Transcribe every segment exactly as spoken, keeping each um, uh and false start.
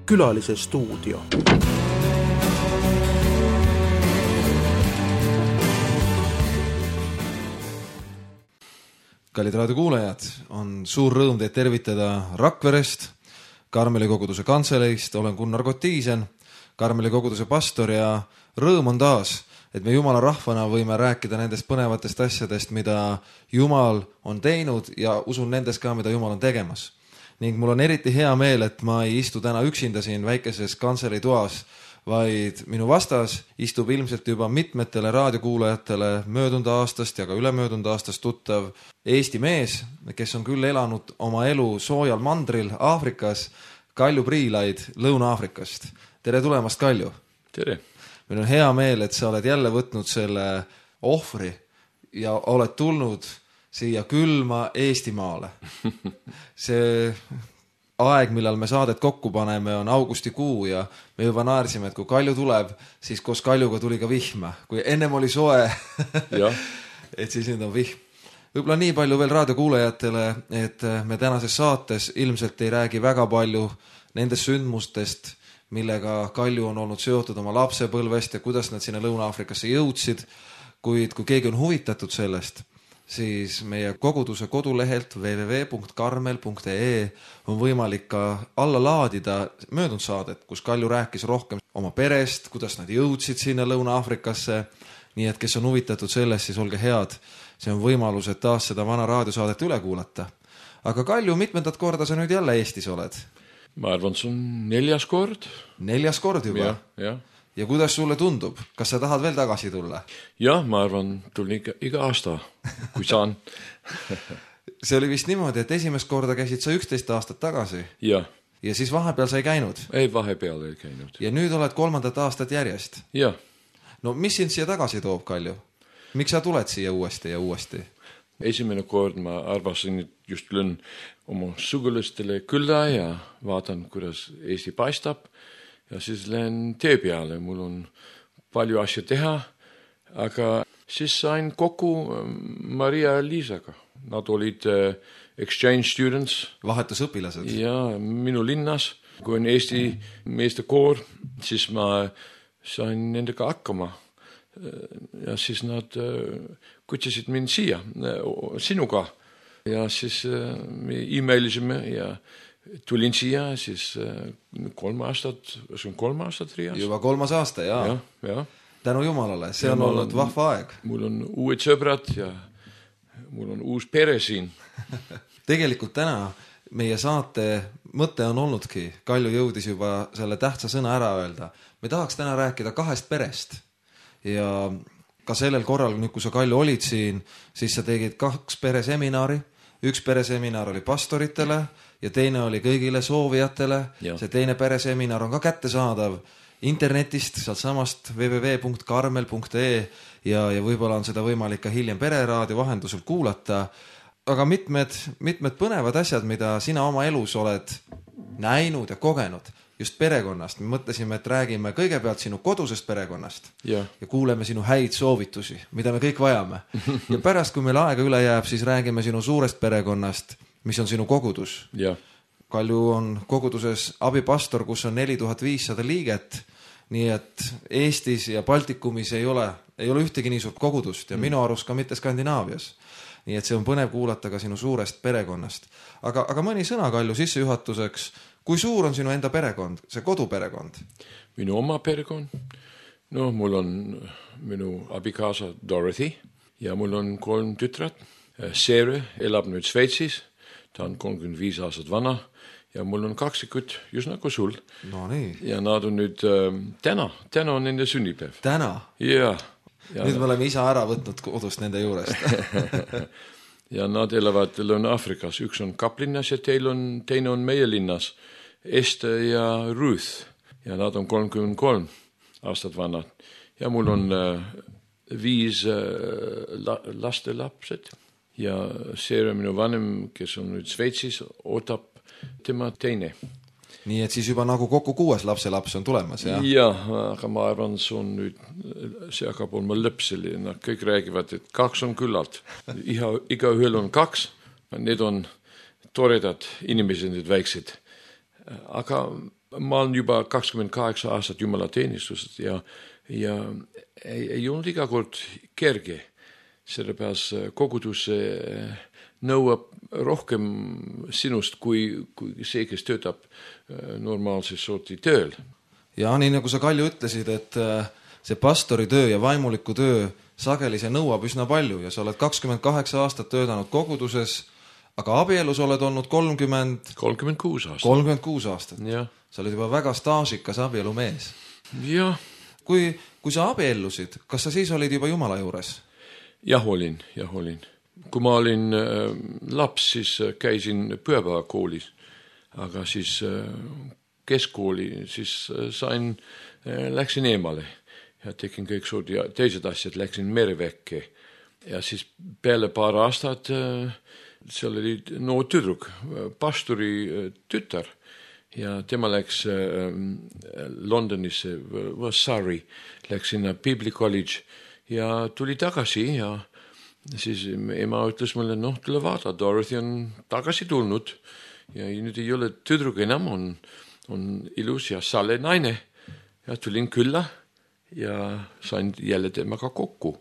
Külalise stuudio. Kallid raadiokuulajad, on suur rõõm teid tervitada Rakverest, Karmeli koguduse kantseleist, olen Gunnar Kotiisen, Karmeli koguduse pastor ja rõõm on taas, et me Jumala rahvana võime rääkida nendest põnevatest asjadest, mida Jumal on teinud ja usun nendes ka, mida Jumal on tegemas. Ning mul on eriti hea meel, et ma ei istu täna üksinda siin väikeses kantseli toas, vaid minu vastas istub ilmselt juba mitmetele raadiokuulajatele möödunud aastast ja ka ülemöödunud aastast tuttav Eesti mees, kes on küll elanud oma elu soojal mandril Aafrikas, Kalju Priilaid Lõuna-Aafrikast. Tere tulemast, Kalju! Tere! Meil on hea meel, et sa oled jälle võtnud selle ohvri ja oled tulnud siia külma Eestimaale. See aeg, millal me saadet kokku paneme, on augustikuu ja me juba naersime, et kui Kalju tuleb, siis koos Kaljuga tuli ka vihma. Kui ennem oli soe, et siis nüüd on vihm. Võib-olla nii palju veel raadiokuulajatele, et me tänases saates ilmselt ei räägi väga palju nendest sündmustest, millega Kalju on olnud seotud oma lapsepõlvest ja kuidas nad sinna Lõuna-Aafrikasse jõudsid, kuid kui keegi on huvitatud sellest, siis meie koguduse kodulehelt w w w punkt karmel punkt e e on võimalik ka alla laadida möödunud saadet, kus Kalju rääkis rohkem oma perest, kuidas nad jõudsid sinna Lõuna-Aafrikasse, nii et kes on huvitatud sellest, siis olge head, see on võimalus, et taas seda vana raadiosaadet üle kuulata. Aga Kalju, mitmendat korda sa nüüd jälle Eestis oled? Ma arvan, see on neljas kord. Neljas kord juba? Ja, ja. Ja kuidas sulle tundub? Kas sa tahad veel tagasi tulla? Jah, ma arvan, tulin iga, iga aasta, kui saan. See oli vist niimoodi, et esimest korda käisid sa üksteist aastat tagasi. Ja. Ja siis vahepeal sa ei käinud? Ei, vahepeal ei käinud. Ja nüüd oled kolmandat aastat järjest? Ja. No mis sind siia tagasi toob, Kalju? Miks sa tuled siia uuesti ja uuesti? Esimene kord ma arvasin, et just lõin oma sugulastele külla ja vaatan, kuidas Eesti paistab. Ja siis lähen tee peale, mul on palju asja teha, aga siis sain kokku Maria ja Liisaga. Nad olid exchange students. Vahetusõpilased. Ja minu linnas, kui on Eesti meeste koor, siis ma sain nendega hakkama. Ja siis nad kutsusid mind siia, sinuga. Ja siis me e-mailisime ja tulin siia, siis kolm aastat, see on kolm aastat Riias. Juba kolmas aasta, jaa. Ja, ja. Tänu Jumalale, see on olnud vahva aeg. Mul on uued sõbrad ja mul on uus pere siin. Tegelikult täna meie saate mõte on olnudki, Kalju jõudis juba selle tähtsa sõna ära öelda. Me tahaks täna rääkida kahest perest ja ka sellel korral, kui sa Kalju olid siin, siis sa tegid kaks pereseminari. Üks pereseminar oli pastoritele ja teine oli kõigile soovijatele. Ja. See teine pereseminar on ka kättesaadav internetist, sealt samast w w w punkt karmel punkt e e ja, ja võib-olla on seda võimalik ka hiljem pereraadio vahendusel kuulata. Aga mitmed, mitmed põnevad asjad, mida sina oma elus oled näinud ja kogenud just perekonnast. Me mõtlesime, et räägime kõigepealt sinu kodusest perekonnast ja, ja kuuleme sinu häid soovitusi, mida me kõik vajame. Ja pärast, kui meil aega üle jääb, siis räägime sinu suurest perekonnast, mis on sinu kogudus. Ja. Kalju on koguduses abipastor, kus on neli tuhat viissada liiget, nii et Eestis ja Baltikumis ei ole, ei ole ühtegi nii suurt kogudust ja mm. minu arust ka mitte Skandinaavias. Nii et see on põnev kuulata ka sinu suurest perekonnast. Aga, aga mõni sõna, Kalju, sissejuhatuseks. Kui suur on sinu enda perekond, see koduperekond? Minu oma perekond? No, mul on minu abikaasa Dorothy ja mul on kolm tütrat. Seere elab nüüd Sveitsis, ta on kolmkümmend viis aastat vana ja mul on kaksikud just nagu sul. No nii. Ja nad on nüüd äh, täna, täna on nende sünnipäev. Täna? Ja. ja nüüd me oleme isa ära võtnud kodust nende juurest. Ja nad elavad Lõuna-Aafrikas. Üks on Kaplinnas ja teil on, teine on meie linnas. Esther ja Ruth. Ja nad on kolmkümmend kolm aastat vanad. Ja mul on äh, viis äh, la, lastelapsed. Ja Seere minu vanem, kes on nüüd Sveitsis, ootab tema teine. Nii et siis juba nagu kokku kuues lapselaps on tulemas, jah? Jah, aga ma arvan, see on nüüd, see hakkab olema lõpseli. Nad kõik räägivad, et kaks on küllalt. Iga, iga ühel on kaks. Need on toredad inimesed, need väiksed. Aga ma olen juba kakskümmend kaheksa aastat jumalateenistused ja, ja ei, ei olnud iga kord kerge. Sellepärast kogudus nõuab rohkem sinust kui, kui see, kes töötab normaalses sorti tööl. Ja nii nagu sa, Kalju, ütlesid, et see pastori töö ja vaimuliku töö sageli see nõuab üsna palju ja sa oled kakskümmend kaheksa aastat töötanud koguduses, aga abielus oled olnud kolmkümmend... kolmkümmend kuus aastat. kolmkümmend kuus aastat. Ja. Sa oled juba väga staažikas abielumees. Jah. Kui, kui sa abiellusid, kas sa siis olid juba Jumala juures? Jah, olin, jah, olin. Kui ma olin äh, laps, siis käisin pühapäevakoolis, aga siis äh, keskkooli, siis äh, sain, äh, läksin eemale ja tegin kõik suud ja teised asjad, läksin merevekke ja siis peale paar aastat äh, seal oli noor tüdruk, pastori tütar ja tema läks äh, Londonisse, Surrey, läks sinna Bible College ja tuli tagasi ja siis ema ütles mulle, noh, tule vaata, Dorothy on tagasi tulnud ja nüüd ei ole tüdruk enam, on, on ilus ja sale naine ja tulin külla ja sain jälle temaga kokku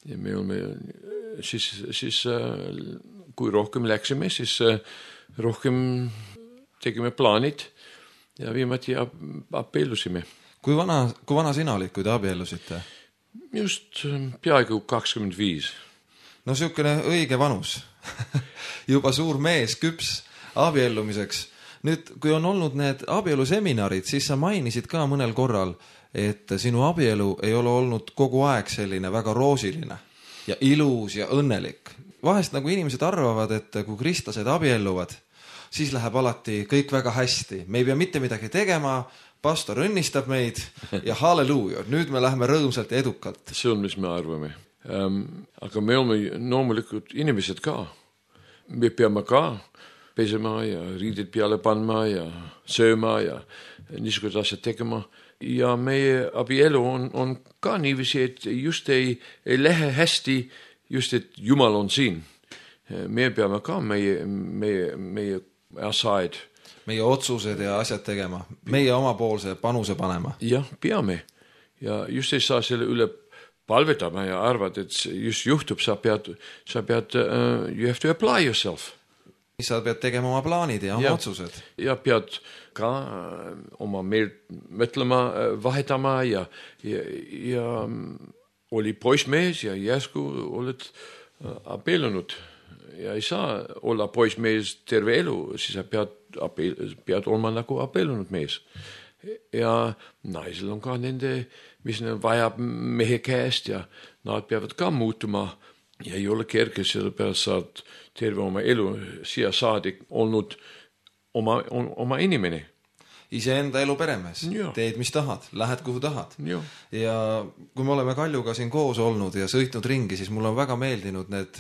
ja me oleme siis, siis kui rohkem läksime, siis rohkem tegime plaanid ja viimati abiellusime. Kui vana, kui vana sina olid, kui te abiellusite? Just peaaegu kakskümmend viis. No siukene õige vanus. Juba suur mees, küps abiellumiseks. Nüüd, kui on olnud need abieluseminarid, siis sa mainisid ka mõnel korral, et sinu abielu ei ole olnud kogu aeg selline väga roosiline ja ilus ja õnnelik. Vahest nagu inimesed arvavad, et kui kristlased abielluvad, siis läheb alati kõik väga hästi. Me ei pea mitte midagi tegema, pastor õnnistab meid ja halleluuja, nüüd me läheme rõõmsalt ja edukalt. See on, mis me arvame. Um, aga me oleme loomulikult inimesed ka. Me peame ka pesema ja riidid peale panma ja sööma ja niisugused asjad tegema. Ja meie abielu on, on ka niiviisi, et just ei, ei lähe hästi, just et Jumal on siin. Me peame ka meie, meie, meie asaid. Meie otsused ja asjad tegema. Meie omapoolse panuse panema. Jah, peame. Ja just ei saa selle üle palvetama ja arvad, et just juhtub, sa pead, sa pead uh, you have to apply yourself. Sa pead tegema oma plaanid ja oma ja, otsused. Ja pead ka uh, oma meelt mõtlema, uh, vahetama ja, ja, ja um, oli poismees ja järsku oled uh, abiellunud. Ja ei saa olla poismees terve elu, siis sa pead, abel, pead olema nagu abiellunud mees. Ja naisel on ka nende, mis neil vajab mehe käest ja nad peavad ka muutuma ja ei ole kerge, sellepärast saad terve oma elu siia saadik olnud oma, oma inimene. Iseenda elu peremees, ja. Teed mis tahad, lähed kuhu tahad. Ja. ja kui me oleme Kaljuga siin koos olnud ja sõitnud ringi, siis mulle on väga meeldinud need,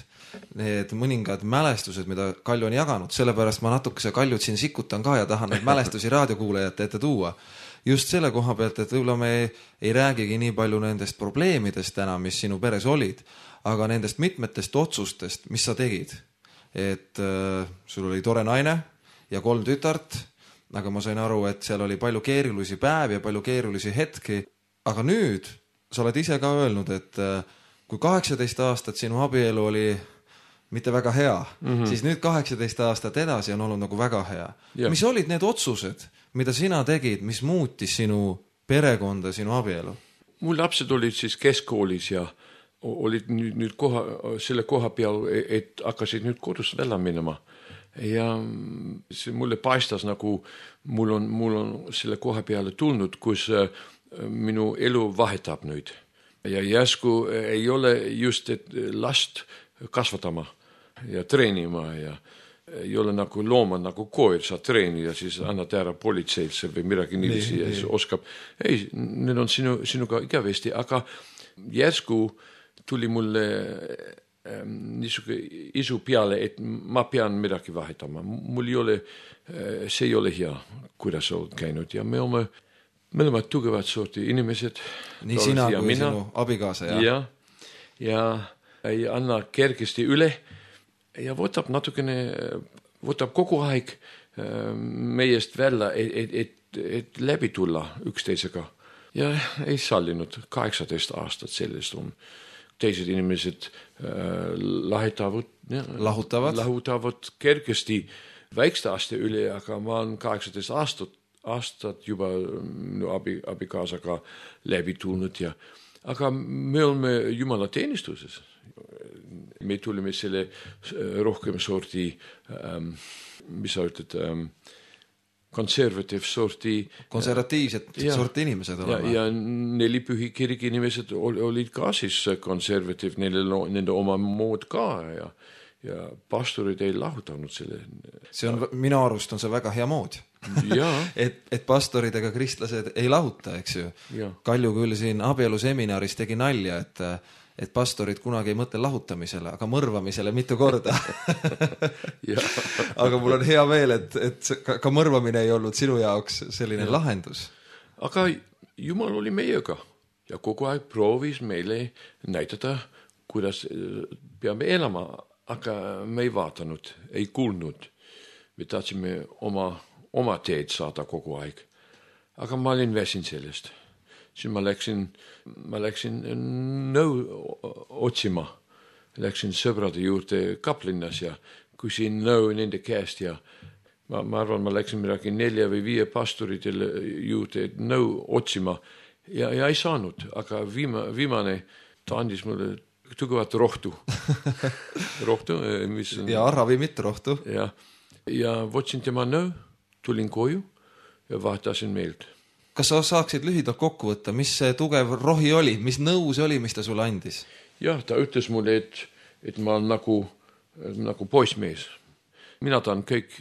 need mõningad mälestused, mida Kalju on jaganud, sellepärast ma natukese Kaljut siin sikutan ka ja tahan neid mälestusi raadiokuulajate ette tuua. Just selle koha pealt, et võib-olla me ei, ei räägigi nii palju nendest probleemidest täna, mis sinu peres olid, aga nendest mitmetest otsustest, mis sa tegid. Et äh, sul oli tore naine ja kolm tütart, aga ma sain aru, et seal oli palju keerulisi päevi ja palju keerulisi hetki. Aga nüüd sa oled ise ka öelnud, et kui kaheksateist aastat sinu abielu oli mitte väga hea, mm-hmm. siis nüüd kaheksateist aastat edasi on olnud nagu väga hea. Ja. Mis olid need otsused, mida sina tegid, mis muutis sinu perekonda, sinu abielu? Mul lapsed olid siis keskkoolis ja olid nüüd, nüüd koha, selle koha peal, et hakkasid nüüd kodust välja minema. Ja see mulle paistas nagu mul on, mul on selle koha peale tulnud, kus minu elu vahetab nüüd. Ja järsku ei ole just, et last kasvatama ja treenima ja ei ole nagu looma nagu koer, sa treeni ja siis annad ära politseilse või midagi niiviisi ja siis oskab. Ei, need on sinu, sinuga igavesti, aga järsku tuli mulle niisuke isu peale, et ma pean midagi vahetama. Mul ei ole, see ei ole hea, kuidas olet käinud ja me oleme, me oleme tugevad sorti inimesed. Nii sina kui mina. Sinu abikaasa, jah? Ja, ja ei anna kergesti üle ja võtab natukene võtab kogu aeg meiest välja, et, et, et, et läbi tulla üksteisega. Ja ei sallinud kaheksateist aastat sellest on. Teised inimesed äh, lahitavad, ja, lahutavad. lahutavad kergesti väikste aste üle, aga ma olen kaheksateist aastat, aastat juba minu abi, abikaasaga läbi tulnud. Ja, aga me oleme Jumala teenistuses. Me tulime selle rohkem sorti, ähm, mis sa ütled, ähm, konservatiiv sorti. Konservatiivsed ja, sorti inimesed olema. Ja, ja neli pühi kirgi inimesed olid ka siis konservatiiv, neil nende oma mood ka ja, ja pastorid ei lahutanud selle. See on, minu arust on see väga hea mood. et, et pastorid ega kristlased ei lahuta, eks ju. Ja. Kalju küll siin abieluseminaris tegi nalja, et et pastorid kunagi ei mõtle lahutamisele, aga mõrvamisele mitu korda. Aga mul on hea meel, et, et ka, ka mõrvamine ei olnud sinu jaoks selline ja. lahendus. Aga Jumal oli meiega ja kogu aeg proovis meile näidata, kuidas peame elama, aga me ei vaatanud, ei kuulnud. Me tahtsime oma, oma teed saada kogu aeg. Aga ma olin väsin sellest. Siis ma läksin, ma läksin nõu otsima. Läksin sõbrade juurde Kaplinnas ja küsin nõu nende käest ja ma, ma arvan, ma läksin midagi nelja või viie pastoritele juurde nõu otsima ja, ja ei saanud, aga viima, viimane ta andis mulle tugevat rohtu. rohtu mis on, ja ravimit rohtu. Ja, ja võtsin tema nõu, tulin koju ja vaatasin meelt. Kas sa saaksid lühidalt kokku võtta, mis see tugev rohi oli, mis nõu see oli, mis ta sulle andis? Jah, ta ütles mulle, et, et ma olen nagu, nagu poissmees. Mina tahan kõik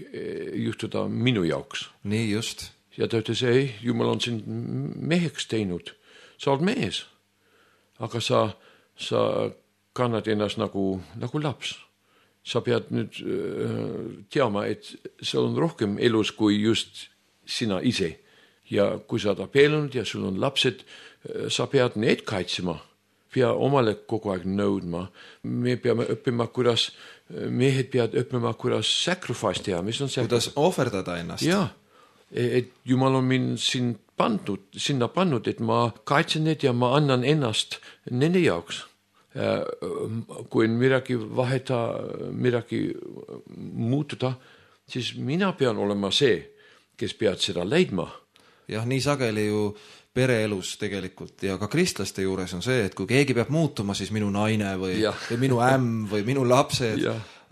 juhtuda minu jaoks. Nii just. Ja ta ütles, ei, Jumal on sind meheks teinud. Sa oled mees. Aga sa, sa kannad ennast nagu, nagu laps. Sa pead nüüd äh, teama, et see on rohkem elus kui just sina ise. Ja kui sa oled abiellunud ja sul on lapsed, sa pead need kaitsema. Pea omale kogu aeg nõudma. Me peame õppima, kuidas, mehed peavad õppima, kuidas sacrifice teha. Mis on kuidas ohverdada ennast. Ja, et Jumal on mind siin pandud, sinna pannud, et ma kaitsen need ja ma annan ennast nende jaoks. Kui midagi vaheta, midagi muutuda, siis mina pean olema see, kes pead seda leidma. Jah, nii sageli ju pereelus tegelikult ja ka kristlaste juures on see, et kui keegi peab muutuma, siis minu naine või, või minu ämm või minu lapsed,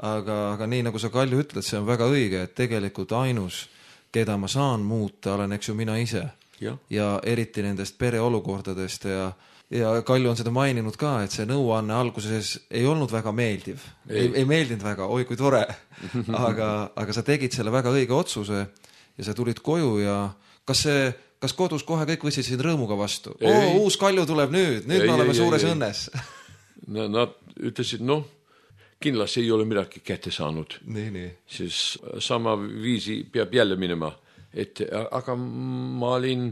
aga, aga nii nagu sa Kalju ütled, see on väga õige, et tegelikult ainus, keda ma saan muuta, olen eks ju mina ise ja, ja eriti nendest pereolukordadest ja, ja Kalju on seda maininud ka, et see nõuanne alguses ei olnud väga meeldiv, ei, ei, ei meeldinud väga, oi kui tore, aga, aga sa tegid selle väga õige otsuse ja sa tulid koju ja kas see, kas kodus kohe kõik võtsid sind rõõmuga vastu? Oo, uus Kalju tuleb nüüd, nüüd ei, me oleme ei, suures ei, õnnes. Nad ütlesid, noh, kindlasti ei ole midagi kätte saanud. Nii, nii. Siis sama viisi peab jälle minema. Et, aga ma olin,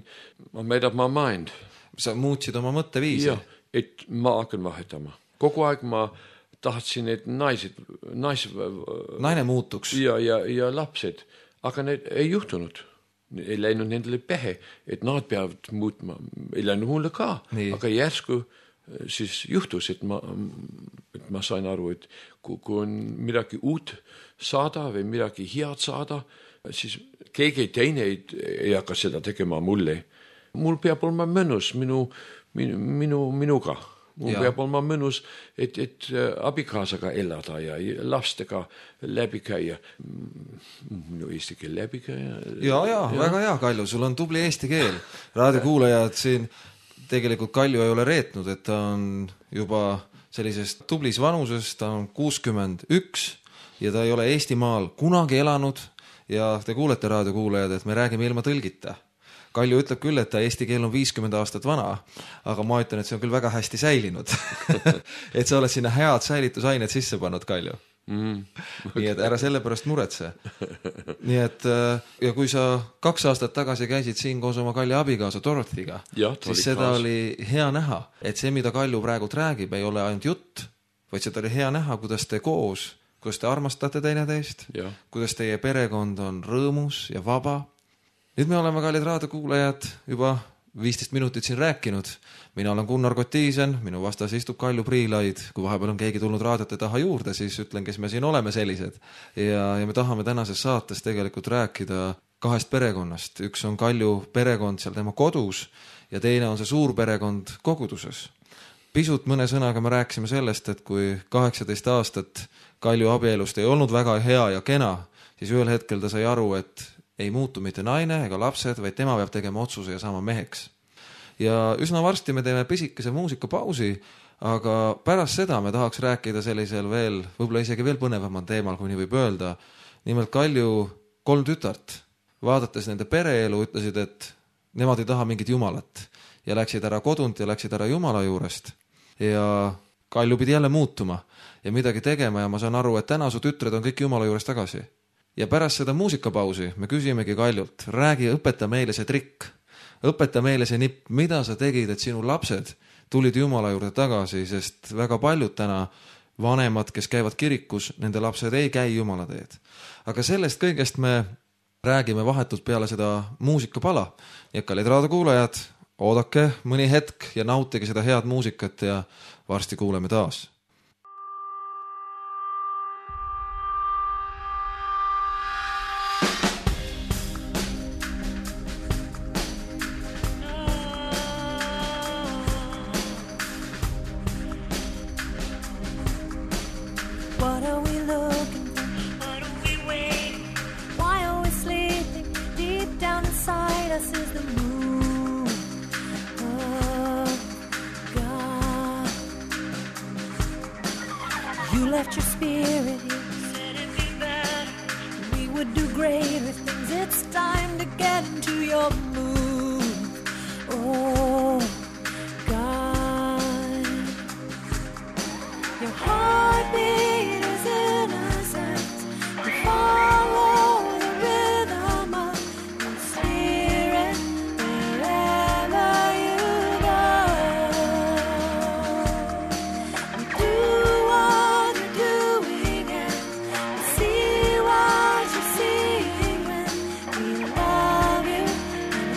ma made up my mind. Sa muutsid oma mõtteviisi? Ja, et ma hakkan vahetama. Kogu aeg ma tahtsin, et naised, nais, naine muutuks. Ja, ja, ja lapsed. Aga need ei juhtunud. Ei läinud nendele pähe, et nad peavad muutma. Ei läinud mulle ka, nii. Aga järsku siis juhtus, et ma, et ma sain aru, et kui, kui on midagi uut saada või midagi head saada, siis keegi teine ei, ei hakka seda tegema mulle. Mul peab olema mõnus minu, minu, minu, minuga. Mul ja. Peab olema mõnus, et, et abikaasaga elada ja lastega läbi käia. Minu eesti keel läbi käia. Ja, ja, ja, väga hea, Kalju, sul on tubli eesti keel. Raadiokuulajad siin tegelikult Kalju ei ole reetnud, et ta on juba sellisest tublis vanuses, ta on kuuskümmend üks ja ta ei ole Eestimaal kunagi elanud ja te kuulete raadiokuulajad, et me räägime ilma tõlgita. Kalju ütleb küll, et ta eesti keel on viiskümmend aastat vana, aga ma ütlen, et see on küll väga hästi säilinud. et sa oled sinna head säilitusained sisse pannud, Kalju. Mm. Nii et ära selle pärast muretse. Nii et, ja kui sa kaks aastat tagasi käisid siin koos oma Kalju abikaasa Dorothiga, ja, siis seda kaas. Oli hea näha, et see, mida Kalju praegu räägib, ei ole ainult jutt, vaid seda oli hea näha, kuidas te koos kuidas te armastate teineteist, kuidas teie perekond on rõõmus ja vaba. Nüüd me oleme, kallid raadiokuulajad, juba viisteist minutit siin rääkinud. Mina olen Gunnar Kotiisen, minu vastas istub Kalju Priilaid. Kui vahepeal on keegi tulnud raadiote taha juurde, siis ütlen, kes me siin oleme sellised. Ja, ja me tahame tänases saates tegelikult rääkida kahest perekonnast. Üks on Kalju perekond seal tema kodus ja teine on see suur perekond koguduses. Pisut mõne sõnaga me rääkisime sellest, et kui kaheksateist aastat Kalju abielust ei olnud väga hea ja kena, siis ühel hetkel ta sai aru, et ei muutu mitte naine ega lapsed, vaid tema peab tegema otsuse ja saama meheks. Ja üsna varsti me teeme pisikese muusikapausi, aga pärast seda me tahaks rääkida sellisel veel, võib-olla isegi veel põnevamal teemal, kui nii võib öelda. Nimelt Kalju kolm tütart, vaadates nende pereelu, ütlesid, et nemad ei taha mingit jumalat ja läksid ära kodunt ja läksid ära jumala juurest. Ja Kalju pidi jälle muutuma ja midagi tegema ja ma saan aru, et täna su tütred on kõik jumala juurest tagasi. Ja pärast seda muusikapausi me küsimegi Kaljult, räägi, õpeta meile see trikk, õpeta meile see nipp, mida sa tegid, et sinu lapsed tulid jumala juurde tagasi, sest väga paljud täna vanemad, kes käivad kirikus, nende lapsed ei käi jumala teed. Aga sellest kõigest me räägime vahetult peale seda muusikapala. Ja kallid raadiokuulajad, oodake mõni hetk ja nautige seda head muusikat ja varsti kuuleme taas. Left your spirit here, said it'd be better. We would do greater things. It's time to get into your mood. Oh, God. Your heartbeat is innocent. You follow the rhythm of your spirit wherever you go. You do what see what you're seeing when we love you and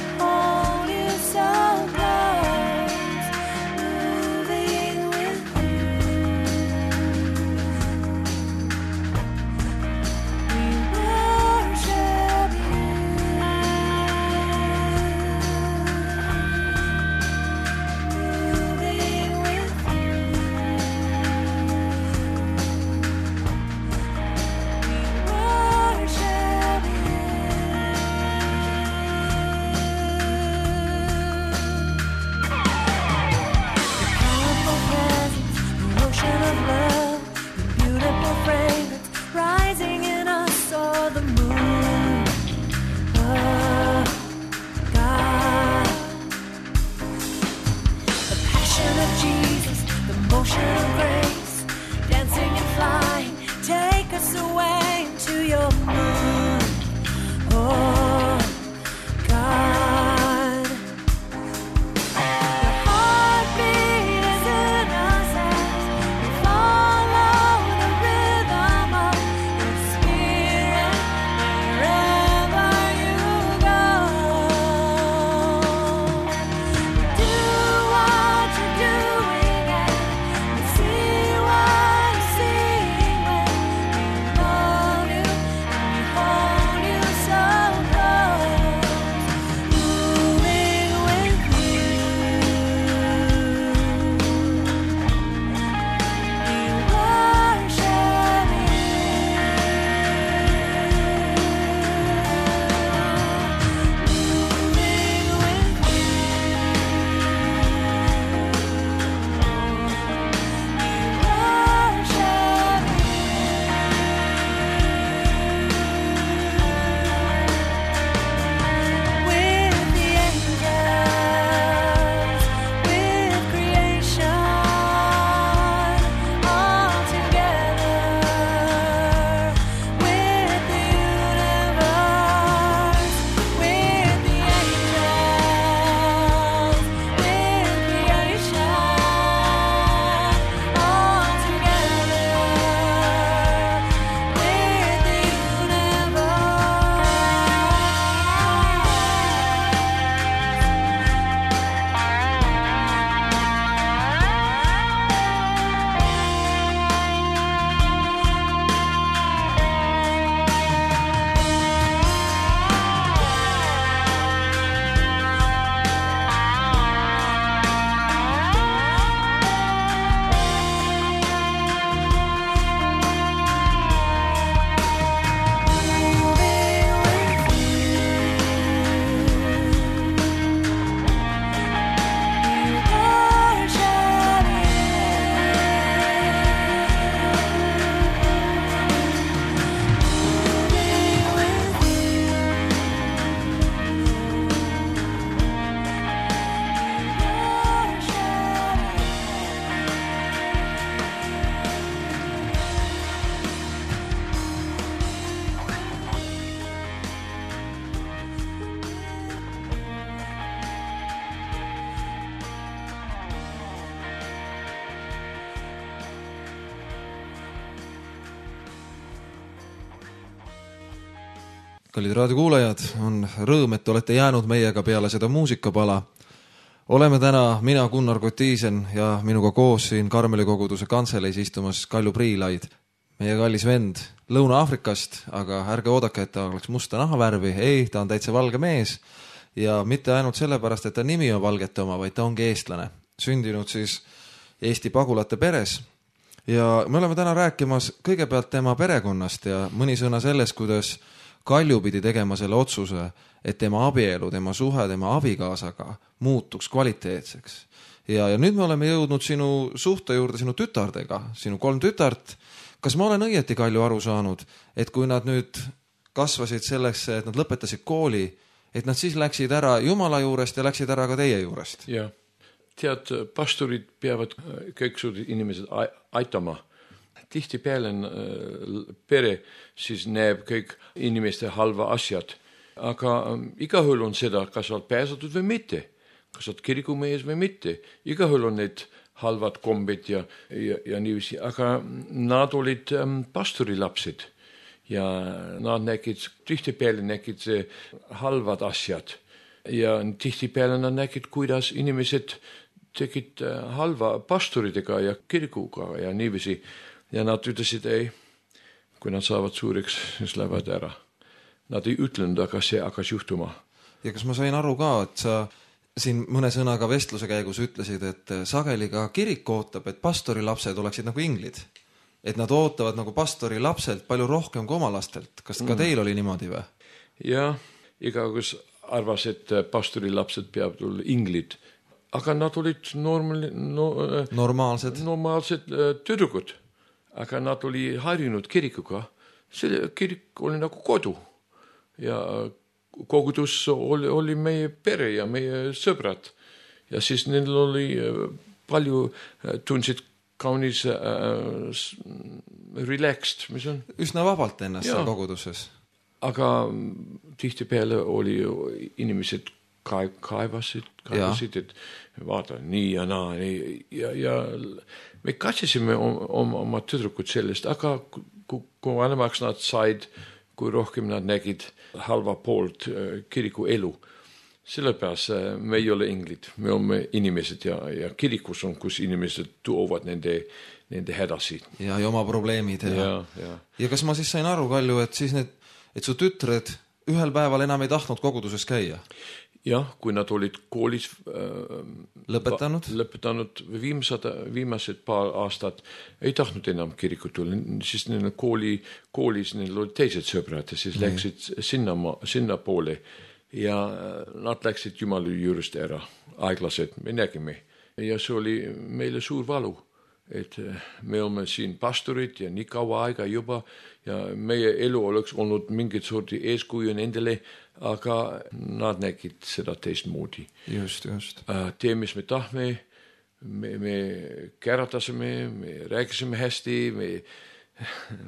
Kallid raadiokuulajad, on rõõm, et olete jäänud meiega peale seda muusikapala. Oleme täna mina, Gunnar Kotiisen ja minuga koos siin Karmeli koguduse kantseleis istumas Kalju Priilaid. Meie kallis vend Lõuna-Afrikast, aga ärge oodake, et ta oleks musta nahavärvi. Ei, ta on täitsa valge mees ja mitte ainult sellepärast, et ta nimi on valgete oma, vaid ta ongi eestlane. Sündinud siis Eesti pagulate peres. Ja me oleme täna rääkimas kõigepealt tema perekonnast ja mõni sõna sellest, kuidas Kalju pidi tegema selle otsuse, et tema abielu, tema suhe, tema abikaasaga muutuks kvaliteetseks. Ja, ja nüüd me oleme jõudnud sinu suhte juurde sinu tütardega, sinu kolm tütart. Kas ma olen õieti, Kalju, aru saanud, et kui nad nüüd kasvasid selleks, et nad lõpetasid kooli, et nad siis läksid ära Jumala juurest ja läksid ära ka teie juurest? Ja, tead, pastorid peavad kõik suured inimesed aitama. Tihti peale pere siis näeb kõik inimeste halva asjad. Aga igahul on seda, kas olet pääsatud või mitte. Kas olet kirikumees või mitte. Igahul on need halvad kombed ja, ja, ja niiviisi. Aga nad olid pastorilapsed. Ja nad nägid, tihti peale nägid see halvad asjad. Ja tihti peale nad nägid, kuidas inimesed tegid halva pastoridega ja kirikuga ja niiviisi. Ja nad ütlesid, ei, kui nad saavad suureks, siis lähevad ära. Nad ei ütlenud, aga see hakkas juhtuma. Ja kas ma sain aru ka, et sa siin mõne sõnaga vestluse käigus ütlesid, et sageli ka kirik ootab, et pastori lapsed oleksid nagu inglid. Et nad ootavad nagu pastori lapselt palju rohkem kui oma lastelt. Kas ka teil oli niimoodi või? Ja, igagus arvas, et pastori lapsed peavad olla inglid. Aga nad olid normal, no, normaalsed, normaalsed tüdrukud. Aga nad oli harjunud kirikuga. See kirik oli nagu kodu. Ja kogudus oli, oli meie pere ja meie sõbrad. Ja siis neil oli palju tundsid kaunis äh, relaxed, mis on? Üsna vabalt ennast ja. Koguduses. Aga tihti peale oli inimesed kaev, kaevasid, kaevasid, et vaata nii ja naa. Nii, ja, ja me katsisime oma, oma tüdrukud sellest, aga kui, kui vanemaks nad said, kui rohkem nad nägid halva poolt kiriku elu. Sellepärast me ei ole inglid, me oleme inimesed ja, ja kirikus on, kus inimesed tuovad nende, nende hädasi. Ja, ja oma probleemid. Ja. Ja, ja. ja kas ma siis sain aru, Kalju, et, siis need, et su tütred ühel päeval enam ei tahtnud koguduses käia? Jah, kui nad olid koolis äh, lõpetanud, lõpetanud viimsad, viimased paar aastat, ei tahtnud enam kirikut tulla, siis neil kooli, koolis neil olid teised sõbrad ja siis mm. läksid sinna, sinna poole ja nad läksid Jumala juurest ära, aeglased, me nägime. Ja see oli meile suur valu, et me oleme siin pastorid ja nii kaua aega juba ja meie elu oleks olnud mingit sorti eeskuju nendele, aga nad nägid seda teistmoodi. Just, just. Tee, mis me tahme, me, me käratasime, me rääkisime hästi, me,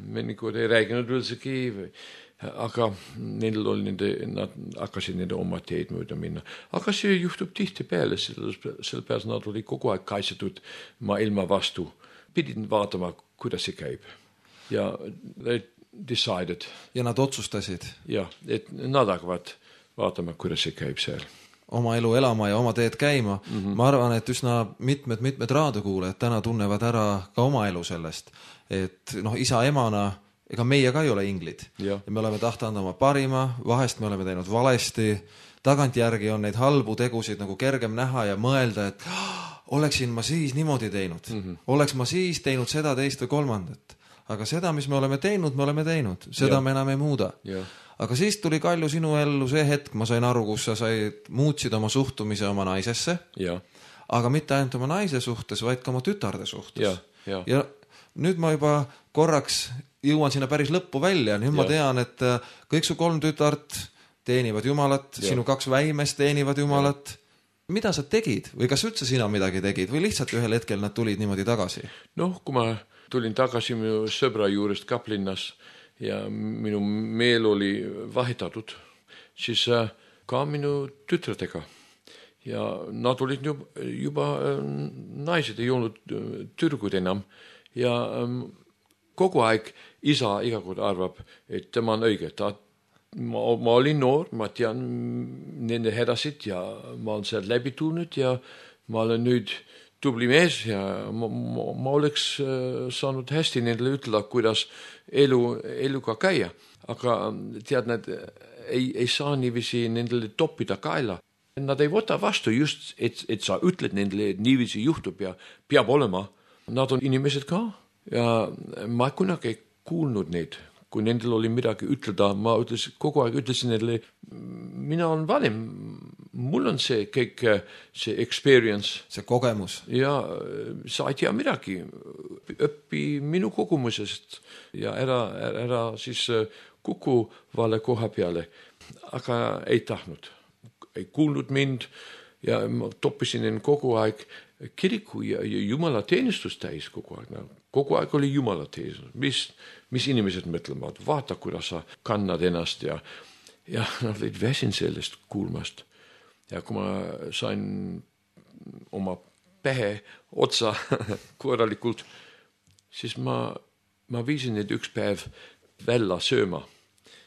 me nagu ei rääginud üldsegi, aga neil oli nende, nad hakkasid nende oma teed mööda minna. Aga see juhtub tihti peale, sellepärast nad oli kogu aeg kaitsetud maailma vastu. Pidin vaatama, kuidas see käib. Ja decided. Ja nad otsustasid. Ja, et nad hakkavad vaatama, kuidas see käib seal. Oma elu elama ja oma teed käima. Mm-hmm. Ma arvan, et üsna mitmed, mitmed raadiokuulajad täna tunnevad ära ka oma elu sellest. Et noh, isa emana, ega meie ka ei ole inglid. Ja. Ja me oleme tahtanud oma parima, vahest me oleme teinud valesti. Tagantjärgi on neid halbu tegusid nagu kergem näha ja mõelda, et oleksin ma siis niimoodi teinud. Mm-hmm. Oleks ma siis teinud seda, teist või kolmandat. Aga seda, mis me oleme teinud, me oleme teinud. Seda ja. Me enam ei muuda. Ja. Aga siis tuli, Kalju, sinu ellu see hetk, ma sain aru, kus sa said, muutsid oma suhtumise oma naisesse. Ja. Aga mitte ainult oma naise suhtes, vaid ka oma tütarde suhtes. Ja. Ja. Ja nüüd ma juba korraks jõuan sinna päris lõppu välja. Nüüd ja. Ma tean, et kõik su kolm tütart teenivad Jumalat, ja. Sinu kaks väimest teenivad Jumalat. Ja. Mida sa tegid? Või kas üldse sina midagi tegid? Või lihtsalt ühel hetkel nad tulid niimoodi tagasi? Noh, kui ma tulin tagasi minu sõbra juurest Kaplinnas ja minu meel oli vahetatud, siis ka minu tütretega. Ja nad olid juba, juba naised, ei olnud tüdrukud enam. Ja kogu aeg isa iga kord arvab, et tema on õige. Ta ma, ma olin noor, ma tean nende hädasid ja ma olen sealt läbi tulnud ja ma olen nüüd tubli mees ja ma, ma, ma oleks saanud hästi nendele ütelda, kuidas elu, eluga käia. Aga tead, nad ei, ei saa niiviisi nendele toppida kaela. Nad ei võta vastu just, et, et sa ütled nendele, et niiviisi juhtub ja peab olema. Nad on inimesed ka ja ma kunagi ei kuulnud neid. Kui nendel oli midagi ütelda, ma ütles, kogu aeg ütlesin nendele, mina olen vanem, mul on see kõik, see experience. See kogemus. Ja sa ei tea midagi, õppi minu kogemusest ja ära, ära siis kuku vale koha peale, aga ei tahtnud, ei kuulnud mind ja ma toppisin end kogu aeg kiriku ja, ja Jumala teenistus täis kogu aeg. Kogu aeg oli Jumala teenistus, mis, mis inimesed mõtlevad, vaata, kuidas sa kannad ennast ja, ja nad olid väsin sellest kuulmast. Ja kui ma sain oma pähe otsa korralikult, siis ma, ma viisin need üks päev välja sööma.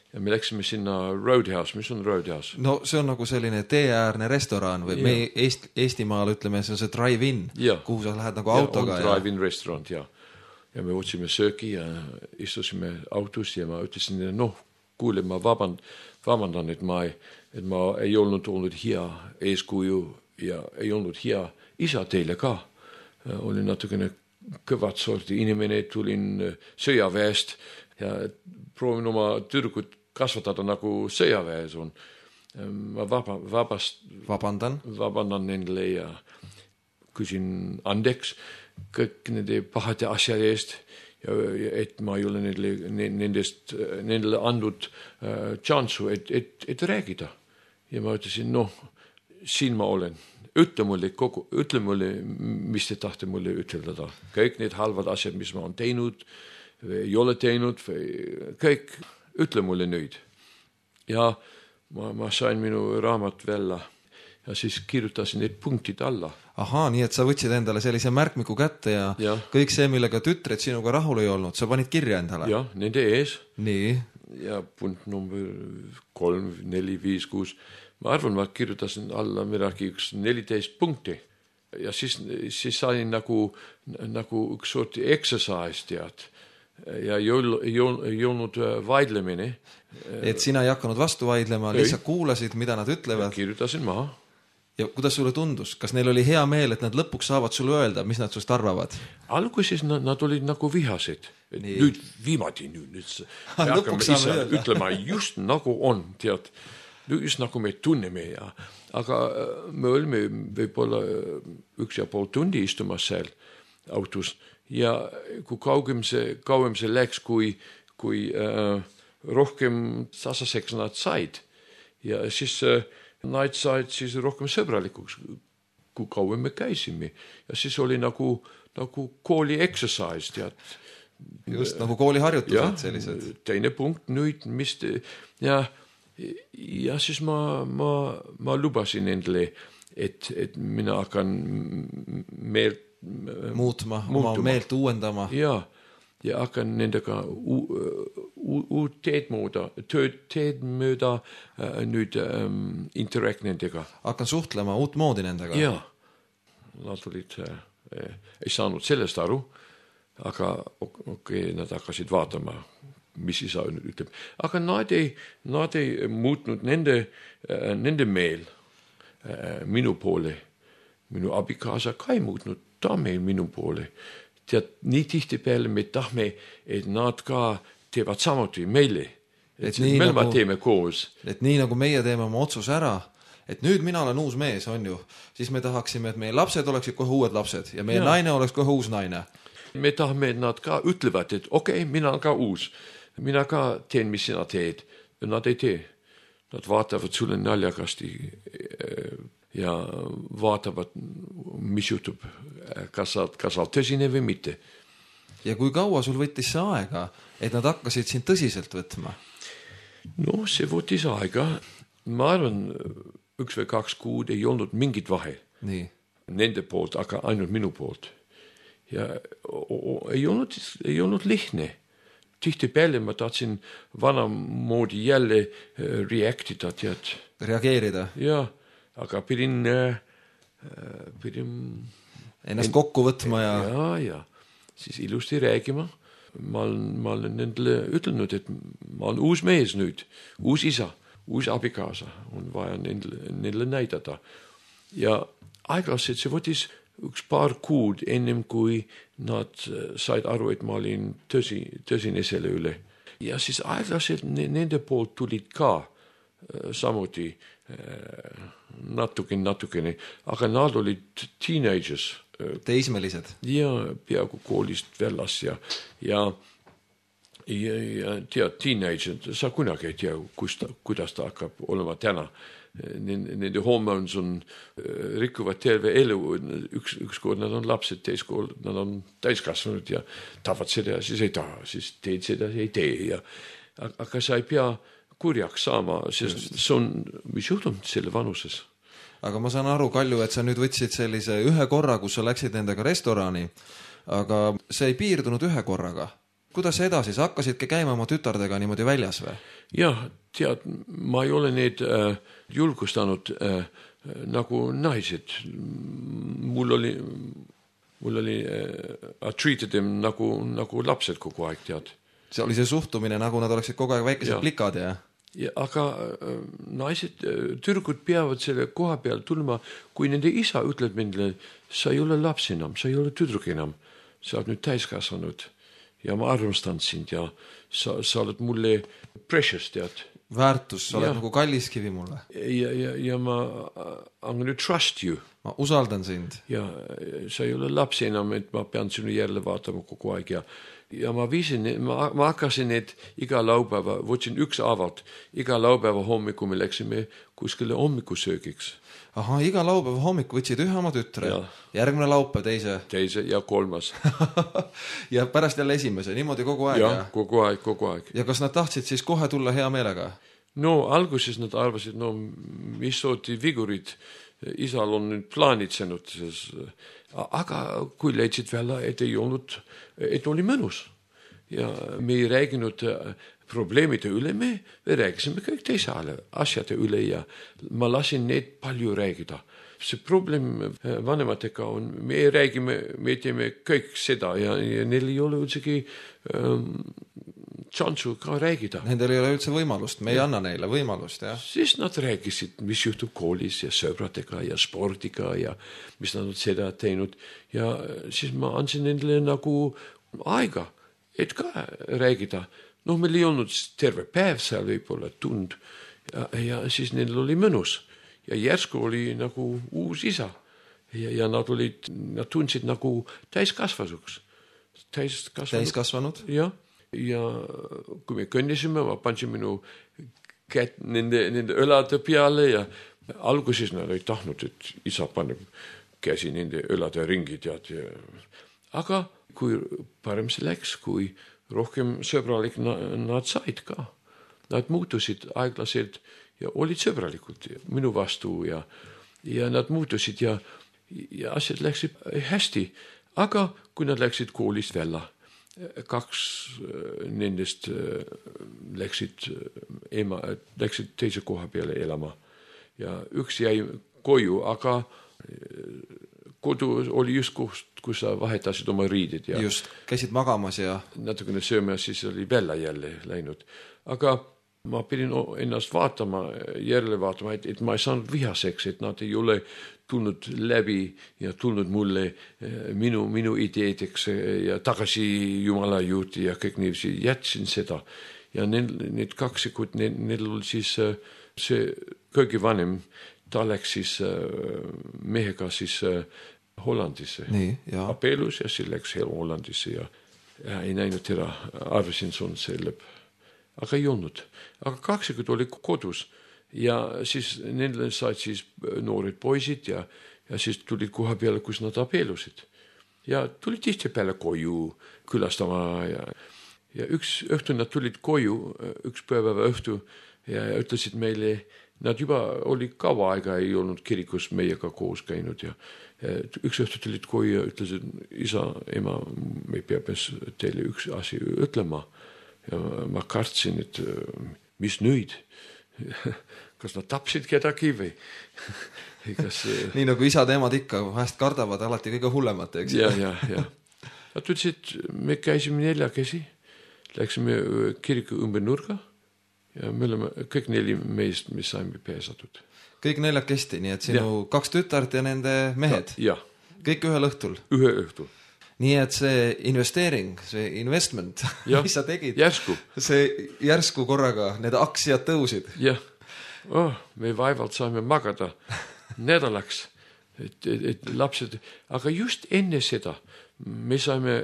Ja me läksime sinna Roadhouse, mis on Roadhouse? No see on nagu selline teeäärne restoran või ja. Me Eest, Eestimaal ütleme, see on see drive-in, ja. Kuhu sa lähed nagu autoga. Ja, on drive-in ja. Restaurant, ja. Ja me otsime sööki ja istusime autos ja ma ütlesin, noh, kuule, ma vaband, vabandan, et ma, ei, et ma ei olnud olnud hea eeskuju ja ei olnud hea isa teile ka. Olin natukene kõvad sorti inimene, tulin sõjaväest ja proovin oma tüdrukut kasvatada nagu sõjaväes on. Ma vaba, vabast, vabandan. vabandan nendele ja küsin andeks kõik nende pahade asjade eest ja, et ma ei ole nendele, nendest, nendele andnud äh, tšansu, et, et, et räägida. Ja ma ütlesin, noh, siin ma olen. Ütle mulle, kogu, ütle mulle, mis te tahte mulle ütelda. Kõik need halvad asjad, mis ma olen teinud, või ei ole teinud, või kõik, ütle mulle nüüd. Ja ma, ma sain minu raamat välja ja siis kirjutasin need punktid alla. Ahaa, nii et sa võtsid endale sellise märkmiku kätte ja, ja. Kõik see, millega tütred sinuga rahul ei olnud, sa panid kirja endale? Ja, nende ees. Nii. Ja punkt number kolm, neli, viis, kuus. Ma arvan, ma kirjutasin alla midagi üks neliteist punkti. Ja siis, siis sain nagu, nagu üks sorti exercise tead. Ja ei olnud vaidlemine. Et sina ei hakanud vastu vaidlema, lihtsalt kuulasid, mida nad ütlevad. Kirjutasin maha. Ja kuidas sulle tundus? Kas neil oli hea meel, et nad lõpuks saavad sulle öelda, mis nad sust arvavad? Alguses nad, nad olid nagu vihased. Nüüd viimati, nüüd, nüüd me hakkame ise ütlema just nagu on, tead. Just nagu me tunneme ja, aga me olime võib-olla üks ja pool tundi istumas seal autos ja kui kaugem see, kauem see läks, kui, kui äh, rohkem sasaseks nad said ja siis äh, nad said siis rohkem sõbralikuks, kui kauem me käisime ja siis oli nagu, nagu kooli exercise, tead. Just nagu kooliharjutused sellised. Teine punkt nüüd, mis te, ja ja siis ma, ma, ma lubasin endale, et, et mina hakkan meelt muutma, muutuma. Oma meelt uuendama. Ja, ja hakkan nendega uut teed mööda, teed mööda äh, nüüd ähm, interact nendega. Hakkan suhtlema uut moodi nendega. Ja, nad olid, äh, ei saanud sellest aru, aga okei, okay, nad hakkasid vaatama, mis isa ütleb. Aga nad ei, nad ei muutnud nende, nende meel minu poole. Minu abikaasa ka ei muutnud ta meil minu poole. Tead, nii tihti peale me tahme, et nad ka teevad samuti meile. Et, et me nagu, teeme koos. Et nii nagu meie teeme oma otsus ära, et nüüd mina olen uus mees, on ju, siis me tahaksime, et meie lapsed oleksid kohe uued lapsed ja meie ja. Naine oleks kohe uus naine. Me tahame, et nad ka ütlevad, et okei, okay, mina olen ka uus. Mina ka teen, mis sina teed. Nad ei tee. Nad vaatavad sulle naljakasti ja vaatavad, mis juhtub. Kas sa, kas sa tõsine või mitte. Ja kui kaua sul võttis see aega, et nad hakkasid sind tõsiselt võtma? No, see võttis aega. Ma arvan, üks või kaks kuud ei olnud mingit vahe. Nii. Nende poolt, aga ainult minu poolt. Ja o, o, ei olnud, ei olnud lihtne. tihtipeale ma tahtsin vanamoodi jälle reactida, tead. Reageerida. Ja, aga pidin, pidin ennast kokku võtma ja... Ja, ja. Siis ilusti räägima. Ma olen, ma olen nendele ütlenud, et ma olen uus mees nüüd, uus isa, uus abikaasa. On vaja nendele, nendele näidata. Ja aeglaselt see võtis üks paar kuud ennem, kui nad said aru, et ma olin tõsi, tõsine selle üle. Ja siis aeglaselt nende poolt tulid ka samuti natukene, natukene, aga nad olid teenagers. Teismelised. Ja peaaegu koolist väljas ja, ja, ja, ja tead, teenager, sa kunagi ei tea, kus ta, kuidas ta hakkab olema täna. Nende hormoons on, rikuvad terve elu, üks, ükskord nad on lapsed, teiskord nad on täiskasvanud ja tahavad seda ja siis ei taha, siis teed seda ja ei tee. Ja, aga sa ei pea kurjaks saama, sest see on, mis juhtub selle vanuses. Aga ma saan aru, Kalju, et sa nüüd võtsid sellise ühe korra, kus sa läksid nendega restorani, aga see ei piirdunud ühe korraga. Kuidas edasi? Sa hakkasidki käima oma tütardega niimoodi väljas või? Jah, tead, ma ei ole neid äh, julgustanud äh, nagu naised. Mul oli, mul oli äh, I treated them nagu, nagu lapsed kogu aeg, tead. See oli see suhtumine, nagu nad oleksid kogu aeg väikesed ja. Plikad, ja? Ja, aga äh, naised, türgud peavad selle koha peal tulma, kui nende isa ütleb mindele, sa ei ole laps enam, sa ei ole tüdruk enam, sa oled nüüd täiskasvanud ja ma armastan sind ja sa, sa oled mulle precious, tead. Väärtus, sa oled ja. Nagu kalliskivi mulle. Ja, ja, ja ma I'm gonna trust you. Ma usaldan sind. Ja sa ei ole laps enam, et ma pean sinu järele vaatama kogu aeg ja Ja ma viisin, ma, ma hakkasin need iga laupäeva, võtsin üks avat, iga laupäeva hommiku me läksime kuskile hommikusöögiks. Aha, iga laupäeva hommiku võtsid ühe oma tütre, ja. Järgmine laupäev teise. Teise ja kolmas. Ja pärast jälle esimese, niimoodi kogu aeg. Ja, ja, kogu aeg, kogu aeg. Ja kas nad tahtsid siis kohe tulla hea meelega? No, alguses nad arvasid, no, mis sooti vigurid, isal on nüüd plaanitsenud, aga kui leidsid välja, et ei olnud, et oli mõnus. Ja me ei rääginud probleemide üle, me, me räägisime kõik teise asjade üle ja ma lasin neid palju räägida. See probleem vanematega on, me räägime, me teeme kõik seda ja, ja neil ei ole üldsegi ähm, tšansu ka räägida. Nendel ei ole üldse võimalust, me ei anna neile võimalust, jah. Siis nad räägisid, mis juhtub koolis ja sõbradega ja spordiga ja mis nad on seda teinud. Ja siis ma andsin nendele nagu aega, et ka räägida. No meil ei olnud terve päev seal võib-olla tund ja, ja siis neil oli mõnus. Ja järsku oli nagu uus isa ja, ja nad olid, nad tundsid nagu täiskasvasuks. Täiskasvanud? Täiskasvanud? Jah. Ja kui me kõndisime, ma pandsin minu kätt nende, nende õlade peale ja alguses nad ei tahtnud, et isa paneb käsi nende õlade ringi, tead. Ja. Aga kui parem see läks, kui rohkem sõbralik nad said ka. Nad muutusid aeglaselt ja olid sõbralikud minu vastu ja, ja nad muutusid ja, ja asjad läksid hästi. Aga kui nad läksid koolist välja, kaks nendest läksid, ema, läksid teise koha peale elama ja üks jäi koju, aga kodu oli just kus, kus sa vahetasid oma riidid. Ja just, käisid magamas ja... Natukene sööme, siis oli välja jälle läinud. Aga ma pidin ennast vaatama, järele vaatama, et, et ma ei saanud vihaseks, et nad ei ole tulnud läbi ja tulnud mulle minu, minu ideedeks ja tagasi Jumala juurde ja kõik niivisi jätsin seda. Ja need, need kaksikud, need, need oli siis see kõige vanem, ta läks siis mehega siis Hollandisse. Nii, ja. Apeelus ja siis läks Hollandisse ja, ja ei näinud teda, arvasin sun selleb. Aga ei olnud. Aga kaksikud oli kodus ja siis nendele said siis noored poisid ja, ja siis tulid koha peale, kus nad apeelusid. Ja tulid tihti peale koju külastama ja, ja üks õhtu nad tulid koju, üks päeva õhtu ja, ja ütlesid meile, nad juba oli kaua aega, ei olnud kirikus meiega koos käinud ja, ja üks õhtu tulid koju ja ütlesid, isa, ema, me peab teile üks asi ütlema. ja ma kartsin, et mis nüüd? Kas nad tapsid kedagi või? Kas... nii nagu isad emad ikka vahest kardavad alati kõige hullemat, eks? Ja, ja, ja. Nad ütlesid, me käisime neljakesi, läksime kiriku ümber nurga ja me oleme kõik neli meest, mis saime pääsatud. Kõik neljakesti, nii et sinu ja. kaks tütart ja nende mehed? Ja. Kõik ühel õhtul? Ühe õhtul. Nii et see investeering, see investment, ja. mis sa tegid, järsku. see järsku korraga, need aktsiad tõusid. Jah, oh, me vaevalt saime magada nädalaks, et, et, et lapsed, aga just enne seda me saime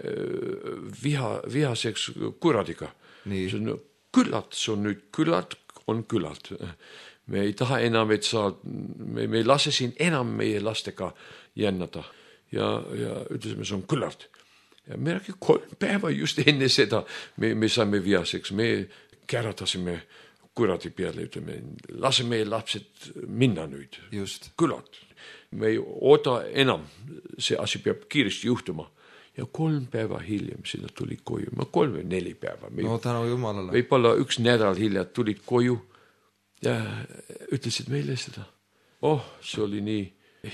viha, vihaseks kuradiga. See on küllalt, see on nüüd küllalt, on küllalt. Me ei taha enam, et sa, me, me ei lase siin enam meie lastega jännata. Ja, ja ütlesime, see on küllalt. Ja me räägime kolm päeva just enne seda, me, me saime vihaseks, me käratasime kuradi peale, ütleme, lase meie lapsed minna nüüd. Just. Küllalt. Me ei oota enam, see asi peab kiiresti juhtuma. Ja kolm päeva hiljem sinna tuli koju. Ma kolm või neli päeva. Me, no tänu Jumalale. Võib-olla üks nädal hiljem tulid koju ja ütlesid meile seda. Oh, see oli nii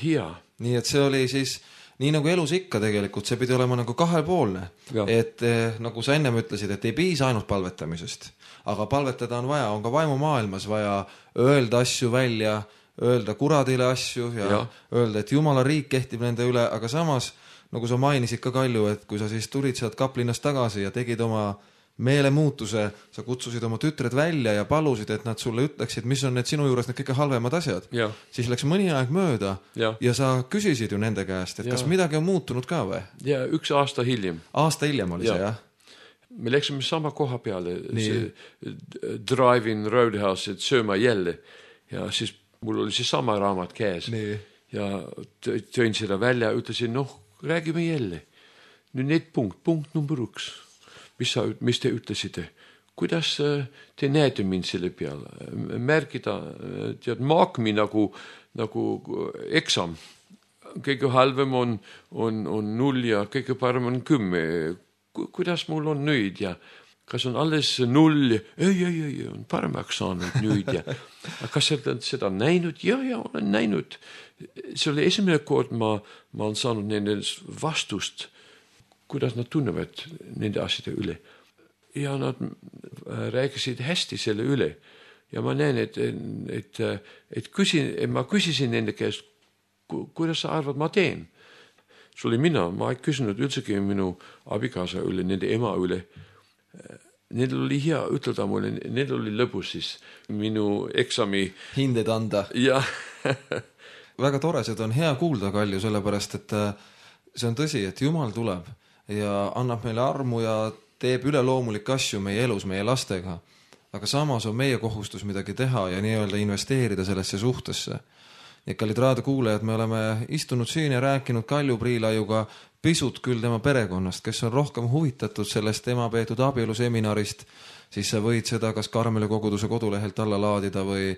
hea. Nii et see oli siis, nii nagu elus ikka tegelikult, see pidi olema nagu kahepoolne. Ja. Et eh, nagu sa ennem ütlesid, et ei piisa ainult palvetamisest. Aga palvetada on vaja, on ka vaimumaailmas vaja öelda asju välja, öelda kuradile asju ja, ja. öelda, et Jumala riik kehtib nende üle, aga samas nagu sa mainisid ka Kalju, et kui sa siis tulid sealt Kaplinast tagasi ja tegid oma meelemuutuse, sa kutsusid oma tütred välja ja palusid, et nad sulle ütleksid, mis on need sinu juures need kõige halvemad asjad. Ja. Siis läks mõni aeg mööda ja. ja sa küsisid ju nende käest, et ja. kas midagi on muutunud ka või? Ja üks aasta hiljem. Aasta hiljem oli ja. see, jah? Me läksime sama koha peale, see Drive-in Roadhouse, et sööma jälle. Ja siis mul oli see sama raamat käes. Nii. Ja tõin seda välja, ütlesin, noh, räägime jälle. Nüüd need punkt, punkt number üks. Mis, sa, mis te ütlesite? Kuidas te näete mind selle peale? Märgida, tead, maakmi nagu, nagu eksam. Kõige halvem on, on, on null ja kõige parem on kümme. Kuidas mul on nüüd ja kas on alles null? Ei, ei, ei, on paremaks saanud nüüd ja kas sa oled seda näinud? Ja, ja, olen näinud. See oli esimene kord, ma, ma olen saanud nende vastust, kuidas nad tunnevad nende asjade üle. Ja nad rääkisid hästi selle üle. Ja ma näen, et, et, et, küsin, et ma küsisin nende käest, kuidas sa arvad, ma teen? See oli mina, ma ei küsinud üldsegi minu abikaasa üle, nende ema üle. Neil oli hea ütelda mulle, neil oli lõbus siis minu eksami hinded anda. Ja. Väga tore, seda on hea kuulda, Kalju, sellepärast, et see on tõsi, et Jumal tuleb ja annab meile armu ja teeb üleloomulikke asju meie elus, meie lastega. Aga samas on meie kohustus midagi teha ja nii-öelda investeerida sellesse suhtesse. Ja kallid raadiokuulajad, me oleme istunud siin ja rääkinud Kalju Priilaiuga pisut küll tema perekonnast, kes on rohkem huvitatud sellest tema peetud abieluseminarist, siis sa võid seda kas Karmeli koguduse kodulehelt alla laadida või,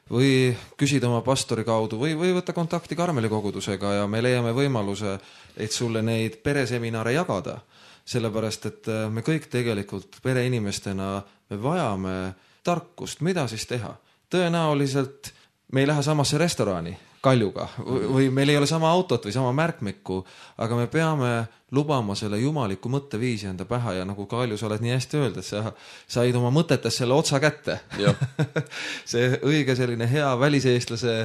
või küsida oma pastori kaudu või, või võtta kontakti Karmeli kogudusega ja me leiame võimaluse, et sulle neid pereseminare jagada. Sellepärast, et me kõik tegelikult pereinimestena me vajame tarkust, mida siis teha. Tõenäoliselt me ei lähe samasse restorani Kaljuga või meil ei ole sama autot või sama märkmikku, aga me peame lubama selle jumaliku mõtteviisi enda pähe ja nagu Kalju, sa oled nii hästi öeldud, et sa said oma mõtetes selle otsa kätte. See õige selline hea väliseestlase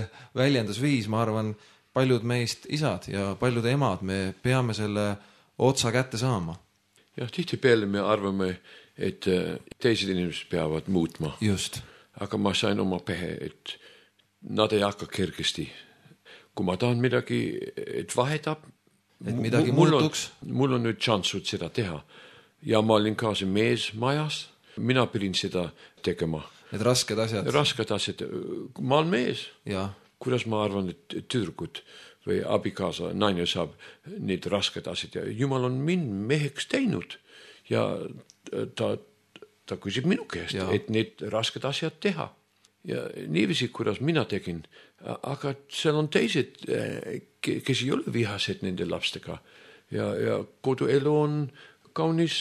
väljendusviis, ma arvan, paljud meist isad ja paljud emad, me peame selle otsa kätte saama. Ja tihti peale me arvame, et teised inimesed peavad muutma. Just. Aga ma sain oma pähe, et nad ei hakka kergesti. Kui ma tahan midagi, et vahetab, et midagi mul muutuks. On, mul on nüüd šansud seda teha. Ja ma olin ka see mees majas, mina pidin seda tegema. Need rasked asjad. Rasked asjad. Ma olen mees. Ja. Kuidas ma arvan, et tüdrukud või abikaasa, naine saab need rasked asjad. Ja Jumal on mind meheks teinud. Ja ta, ta küsib minu käest, ja. Et need rasked asjad teha. Ja niiviisi, kuidas mina tegin, aga seal on teised, kes ei ole vihased nende lapstega ja, ja koduelu on kaunis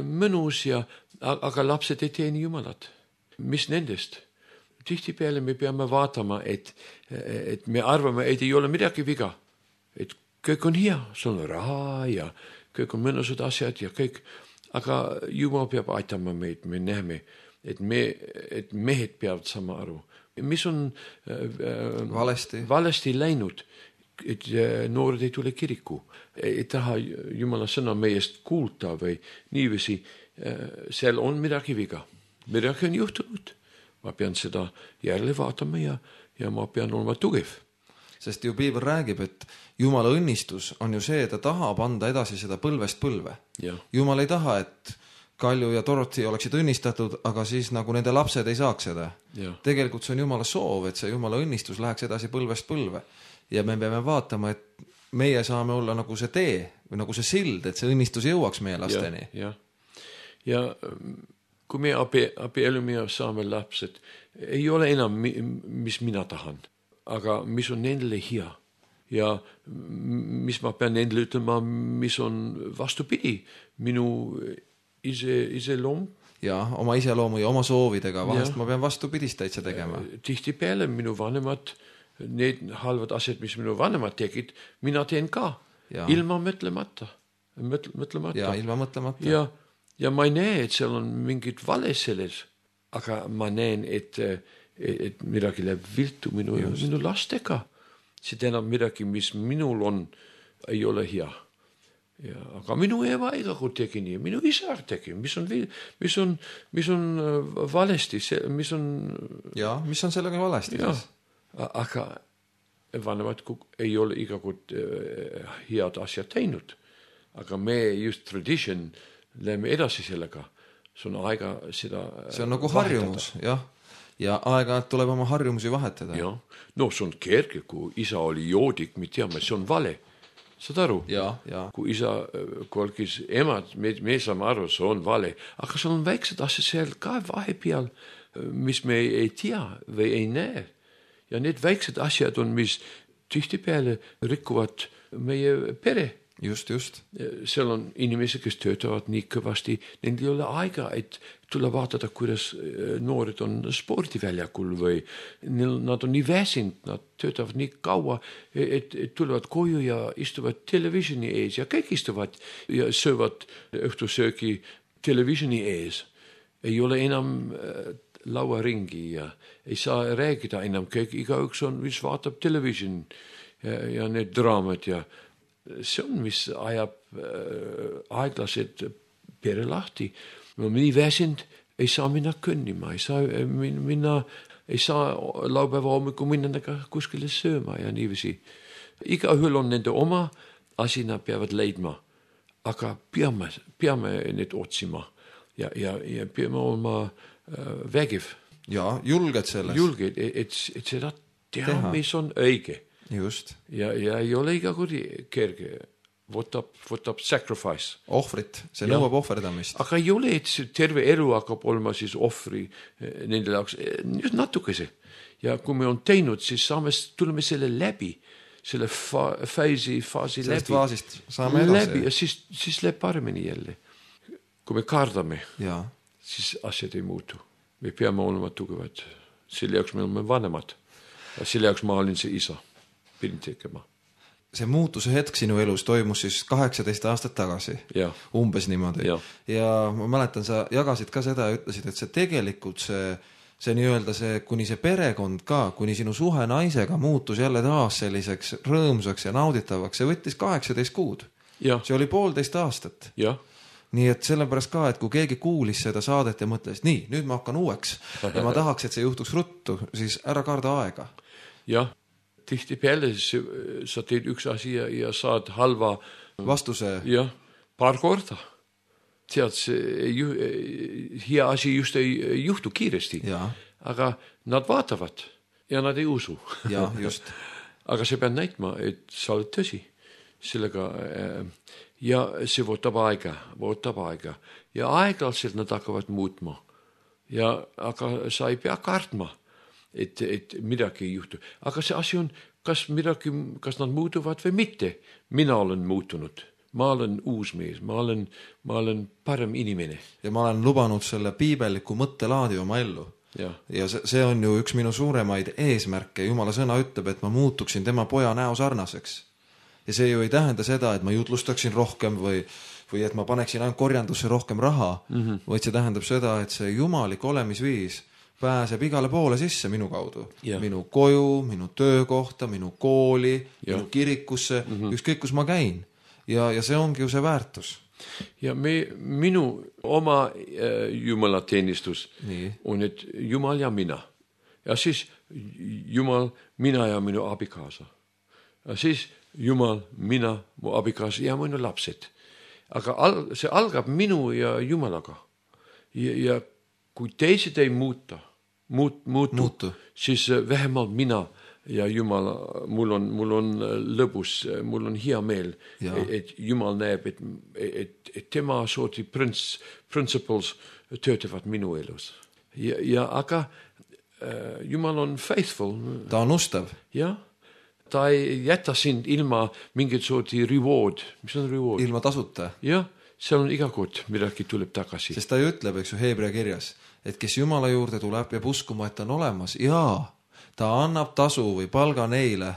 mõnus ja aga lapsed ei teeni Jumalat. Mis nendest? Tihtipeale me peame vaatama, et, et me arvame, et ei ole midagi viga. Et kõik on hea, sul on raha ja kõik on mõnusad asjad ja kõik. Aga Jumal peab aitama meid, me näeme, et, me, et mehed peavad sama aru. Mis on äh, valesti. valesti läinud, et äh, noored ei tule kiriku, ei taha Jumala sõna meest kuulta või niiviisi, äh, seal on midagi viga. Midagi on juhtunud. Ma pean seda järele vaatama ja, ja ma pean olema tugev. Sest ju Piibel räägib, et Jumala õnnistus on ju see, et ta tahab anda edasi seda põlvest põlve. Ja. Jumal ei taha, et Kalju ja Dorothy oleksid õnnistatud, aga siis nagu nende lapsed ei saaks seda. Ja. Tegelikult see on Jumala soov, et see Jumala õnnistus läheks edasi põlvest põlve. Ja me peame vaatama, et meie saame olla nagu see tee või nagu see sild, et see õnnistus jõuaks meie lasteni. Ja, ja. ja kui me abi, abiellume ja saame lapsed, ei ole enam, mis mina tahan, aga mis on nendele hea. Ja mis ma pean nendele ütlema, mis on vastupidi minu ise, iseloom. Ja, oma iseloomu ja oma soovidega. Vahest ja. Ma pean vastupidist täitsa tegema. Tihtipeale minu vanemad, need halvad asjad, mis minu vanemad tegid, mina teen ka. Ja. Ilma mõtlemata. Mõtle, mõtlemata. Ja, ilma mõtlemata. Ja, ja ma ei näe, et seal on mingid vale selles. Aga ma näen, et, et midagi läheb viltu minu, minu lastega. See tähendab midagi, mis minul on, ei ole hea. Ja, aga minu ema ega kui tegi nii, minu isa tegi, mis on, mis on, mis on valesti, mis on... Ja, mis on sellega valesti? Ja, aga vanemad ei ole iga kord head asjad teinud. Aga me just tradition läheme edasi sellega. See on aega seda see on nagu harjumus, jah. Ja aega tuleb oma harjumusi vahetada. Ja, no see on kerge, kui isa oli joodik, me teame, see on vale. Saad aru? Ja, ja. Kui isa kolkis emad, me, me saame aru, see on vale. Aga see on väiksed asjad seal ka vahepeal, mis me ei tea või ei näe. Ja need väiksed asjad on, mis tihtipeale rikuvad meie pere. Just, just. Seal on inimesi, kes töötavad nii kõvasti, neil ei ole aega, et tulla vaatada, kuidas noored on spordiväljakul või nad on nii väsinud, nad töötavad nii kaua, et, et tulevad koju ja istuvad televisioni ees ja kõik istuvad ja söövad õhtusöögi televisioni ees. Ei ole enam lauaringi ja ei saa räägida enam kõik, igaüks on, mis vaatab television ja, ja need draamad ja see on, mis ajab äh, aeglased pere lahti. No nii väsinud, ei saa minna kõnnima, ei saa minna, ei saa laupäeva hommiku minna kuskile sööma ja niiviisi. Igaühel on nende oma asi, nad peavad leidma, aga peame, peame need otsima ja, ja, ja peame olema äh, vägiv. Ja, julged selles. Julged, et, et seda teha, teha, mis on õige. Just. Ja, ja ei ole iga kuri kerge. Võtab, võtab sacrifice. Ohvrit, see nõuab ohverdamist. Aga ei ole, et terve elu hakkab olema siis ohvri nende jaoks just natukese. Ja kui me on teinud, siis saame, tuleme selle läbi, selle fa, faisi, faasi Sellest läbi. faasist saame edasi. Läbi ja siis, siis läheb paremini jälle. Kui me kardame, ja. Siis asjad ei muutu. Me peame olema tugevad. Selle jaoks me oleme vanemad. Ja selle jaoks ma olin see isa. Pidin tegema. See muutuse hetk sinu elus toimus siis kaheksateist aastat tagasi. Ja. Umbes niimoodi. Ja. ja ma mäletan, sa jagasid ka seda ja ütlesid, et see tegelikult see, see nii-öelda see, kuni see perekond ka, kuni sinu suhe naisega muutus jälle taas selliseks rõõmsaks ja nauditavaks, see võttis kaheksateist kuud. Ja. See oli poolteist aastat. Ja. Nii et sellepärast ka, et kui keegi kuulis seda saadet ja mõtles, nii, nüüd ma hakkan uueks ja ma tahaks, et see juhtuks ruttu, siis ära karda aega. Jah. Tihtipeale sa teed üks asi ja, ja saad halva vastuse. Jah, paar korda. Tead, see ju, hea asi just ei juhtu kiiresti. Ja. Aga nad vaatavad ja nad ei usu. Ja, just. Aga see peab näitma, et sa oled tõsi. Sellega, ja see võtab aega, võtab aega. Ja aeglaselt nad hakkavad muutma. Ja, aga sa ei pea kartma. Et, et midagi ei juhtu. Aga see asi on, kas midagi, kas nad muutuvad või mitte. Mina olen muutunud. ma olen uus mees, ma olen, ma olen parem inimene. Ja ma olen lubanud selle piibelliku mõttelaadi oma ellu. Ja, ja see, see on ju üks minu suuremaid eesmärke. Jumala sõna ütleb, et ma muutuksin tema poja näo sarnaseks. Ja see ju ei tähenda seda, et ma jutlustaksin rohkem või, või et ma paneksin ainult korjandusse rohkem raha, mm-hmm. vaid see tähendab seda, et see jumalik olemisviis pääseb igale poole sisse minu kaudu. Ja. Minu koju, minu töökohta, minu kooli, ja. Minu kirikusse, mm-hmm. ükskõik kus ma käin. Ja, ja see ongi ju see väärtus. Ja me, minu oma äh, jumalateenistus Nii. On, et Jumal ja mina. Ja siis Jumal, mina ja minu abikaasa. Ja siis Jumal, mina, mu abikaasa ja minu lapsed. Aga al, see algab minu ja Jumalaga. Ja, ja kui teised ei muuta, muut, muutu, muutu, siis vähemalt mina ja Jumal, mul on, mul on lõbus, mul on hea meel, et Jumal näeb, et, et, et tema sooti prins, principles töötavad minu elus. Ja, ja aga äh, Jumal on faithful. Ta on ustav. Ja, ta ei jäta sind ilma mingit sooti reward. Mis on reward? Ilma tasuta. Ja, seal on iga kord, midagi tuleb tagasi. Sest ta ju ütleb, eks ju, Heebrea kirjas, et kes Jumala juurde tuleb ja uskuma, et ta on olemas, jaa, ta annab tasu või palga neile,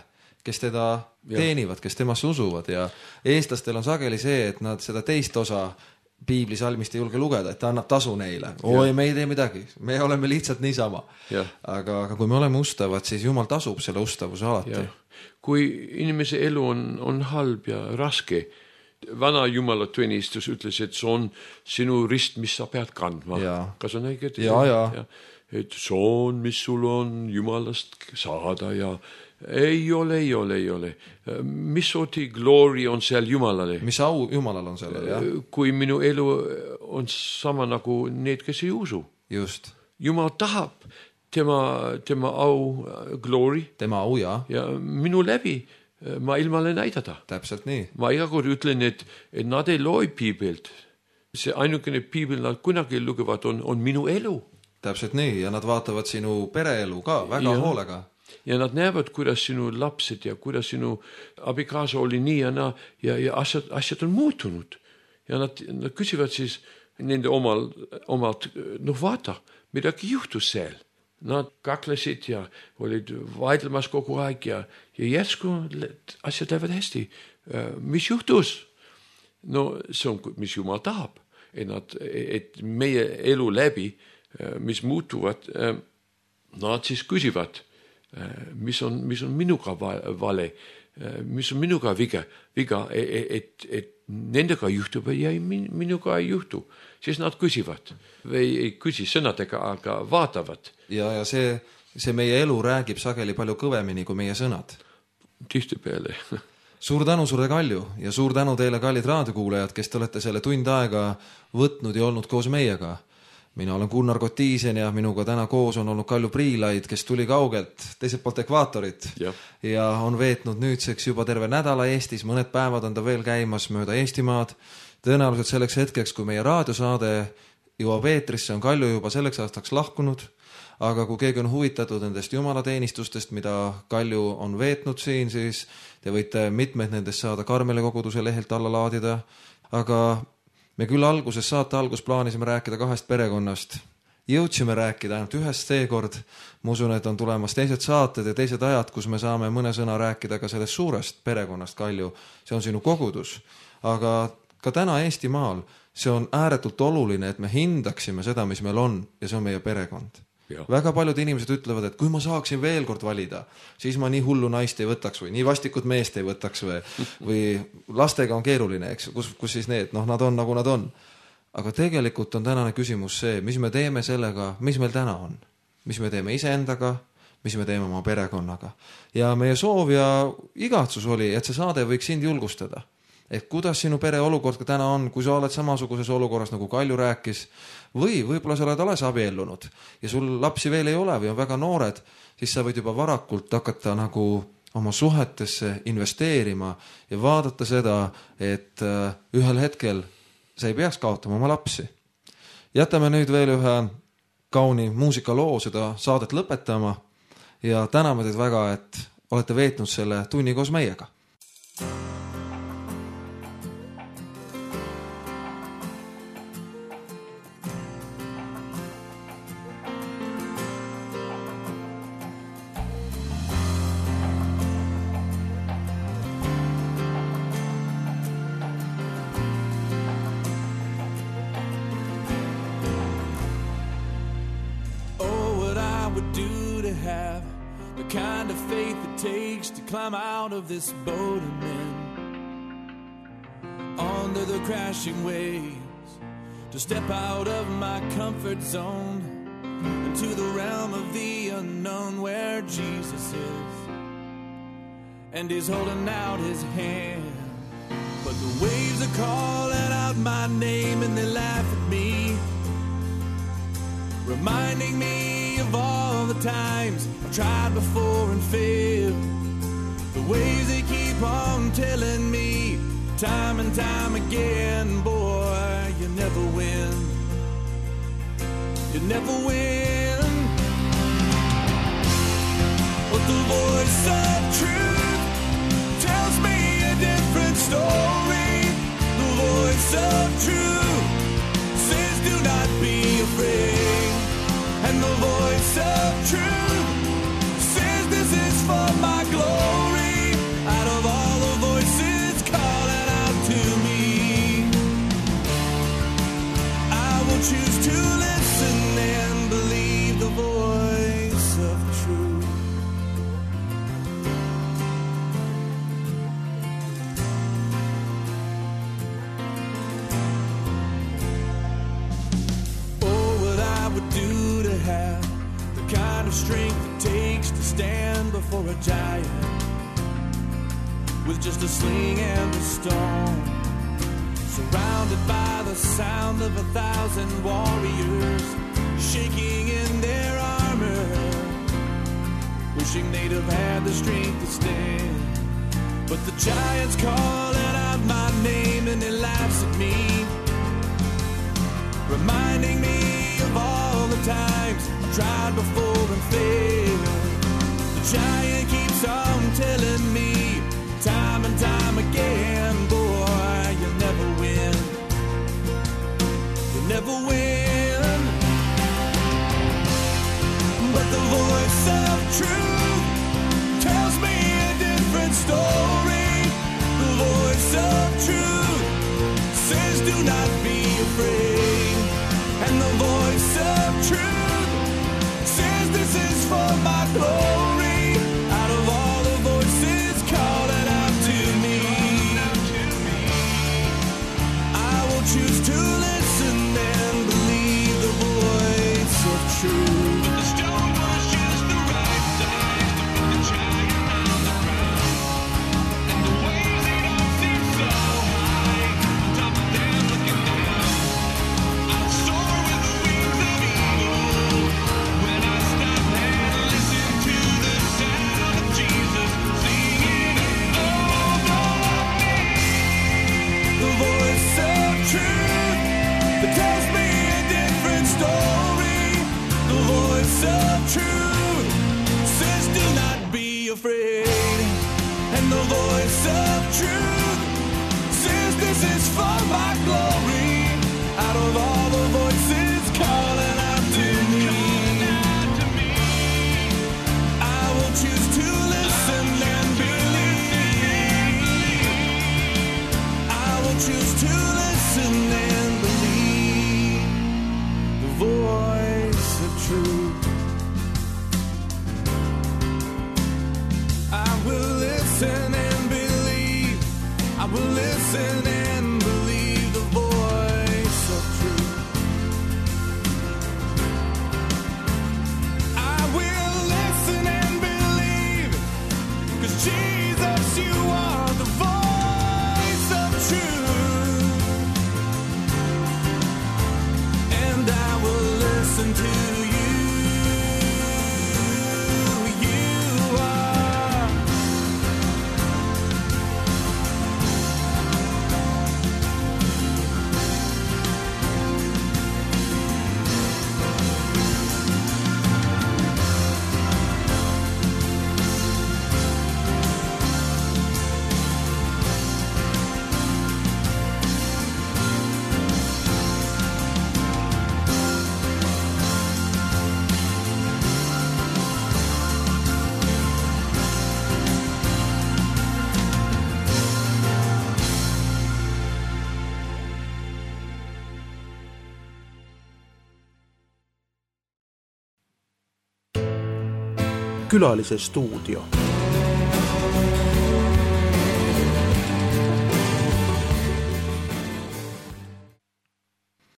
kes teda teenivad, kes temasse usuvad ja eestlastel on sageli see, et nad seda teist osa piiblisalmist ei julge lugeda, et ta annab tasu neile. Oi, me ei tee midagi, me oleme lihtsalt niisama. Aga, aga kui me oleme ustavad, siis Jumal tasub selle ustavuse alati. Ja. Kui inimese elu on, on halb ja raske, vana Jumala tunnistus ütles, et see on sinu rist, mis sa pead kandma. Ja. Kas on õige? Ja, ja. ja. Et see on, mis sul on Jumalast saada ja ei ole, ei ole, ei ole. Mis sooti glory on seal Jumalale? Mis au Jumalal on sellel, jah? Kui minu elu on sama nagu need, kes ei usu. Just. Jumal tahab tema, tema au, glory. Tema au, jah. Ja minu läbi ma ilmale näidata. Täpselt nii. Ma iga kord ütlen, et, et nad ei loi piibelt. See ainukene piibel nad kunagi lugevad on, on minu elu. Täpselt nii, ja nad vaatavad sinu pereelu ka väga ja, hoolega. Ja nad näevad, kuidas sinu lapsed ja kuidas sinu abikaasa oli nii ja na, ja, ja asjad, asjad on muutunud. Ja nad, nad küsivad siis nende omal, omalt, noh vaata, midagi juhtus seal. Nad kaklesid ja olid vaidlemas kogu aeg ja, ja järsku asjad lähevad hästi. Mis juhtus? No see on, mis Jumal tahab. Et, nad, et meie elu läbi, mis muutuvad, nad siis küsivad, mis on, mis on minuga vale, mis on minuga viga, viga et, et nendega juhtub ja minuga ei juhtu. Siis nad küsivad või ei küsi sõnadega, aga vaatavad. Ja, ja see, see meie elu räägib sageli palju kõvemini kui meie sõnad. Tihti peale. Suur tänu sulle, Kalju, ja suur tänu teile, kallid raadiokuulajad, kes te olete selle tund aega võtnud ja olnud koos meiega. Mina olen Gunnar Kotiisen ja minuga täna koos on olnud Kalju Priilaid, kes tuli kaugelt teiselt poolt ekvaatorit ja. ja on veetnud nüüdseks juba terve nädala Eestis, mõned päevad on ta veel käimas mööda Eestimaad. Tõenäoliselt selleks hetkeks, kui meie raadiosaade jõuab eetrisse, on Kalju juba selleks aastaks lahkunud, aga kui keegi on huvitatud nendest jumalateenistustest, mida Kalju on veetnud siin, siis te võite mitmeid nendest saada Karmele koguduse lehelt alla laadida, aga me küll alguses, saate algus plaanisime rääkida kahest perekonnast. Jõudsime rääkida ainult ühest seekord. Ma usun, et on tulemas teised saated ja teised ajad, kus me saame mõne sõna rääkida ka sellest suurest perekonnast, Kalju. See on sinu kogudus. Aga ka täna Eestimaal see on ääretult oluline, et me hindaksime seda, mis meil on, ja see on meie perekond. Ja. Väga paljud inimesed ütlevad, et kui ma saaksin veel kord valida, siis ma nii hullu naist ei võtaks või nii vastikut meest ei võtaks või, või lastega on keeruline, eks, kus, kus siis need, noh, nad on nagu nad on. Aga tegelikult on tänane küsimus see, mis me teeme sellega, mis meil täna on. Mis me teeme iseendaga, mis me teeme oma perekonnaga. Ja meie soov ja igatsus oli, et see saade võiks sind julgustada. Et kuidas sinu pere olukord ka täna on, kui sa oled samasuguses olukorras, nagu Kalju rääkis, või võib-olla sa oled alles abiellunud ja sul lapsi veel ei ole või on väga noored, siis sa võid juba varakult hakata nagu oma suhetesse investeerima ja vaadata seda, et ühel hetkel sa ei peaks kaotama oma lapsi. Jätame nüüd veel ühe kauni muusikaloo seda saadet lõpetama ja täname teid väga, et olete veetnud selle tunni koos meiega. have the kind of faith it takes to climb out of this boat and then under the crashing waves, to step out of my comfort zone into the realm of the unknown where Jesus is, and he's holding out his hand. But the waves are calling out my name and they laugh at me, reminding me of all the times I've tried before and failed. The waves they keep on telling me time and time again, boy, you never win. You never win. But the voice of truth tells me a different story. The voice of truth says do not be afraid. And the voice of truth says this is for my glory. Out of all the voices calling out to me, I will choose to listen and believe the voice of truth. Oh, what I would do to have the kind of strength it takes to stand before a giant with just a sling and a stone, surrounded by the sound of a thousand warriors shaking in their armor, wishing they'd have had the strength to stand. But the giant's calling out my name and he laughs at me, reminding me of all the times I've tried before and failed. The giant keeps on telling me time and time again, boy, you'll never win. You'll never win. But the voice of truth tells me a different story. The voice of truth says do not be afraid. And the voice of truth says this is for my glory. Out of all the voices calling out to me, I will choose to listen and believe the voice of truth. But the stone was just the right size to put the giant on the ground, and the waves they don't seem so high on top of them looking down. I'll soar with the wings of eagle when I stop and listen to the sound of Jesus singing over me. The voice of truth that tells me a different story. The voice of truth says do not be afraid. And the voice of truth says this is for my glory. Out of all the voices calling out to me, I will choose to listen and believe. I will choose to listen and believe the voice of truth. I will listen and believe. I will listen and believe the voice of truth. I will listen and believe, 'cause Jesus, you are the voice of truth. And I will listen to you. You are Külalise stuudio.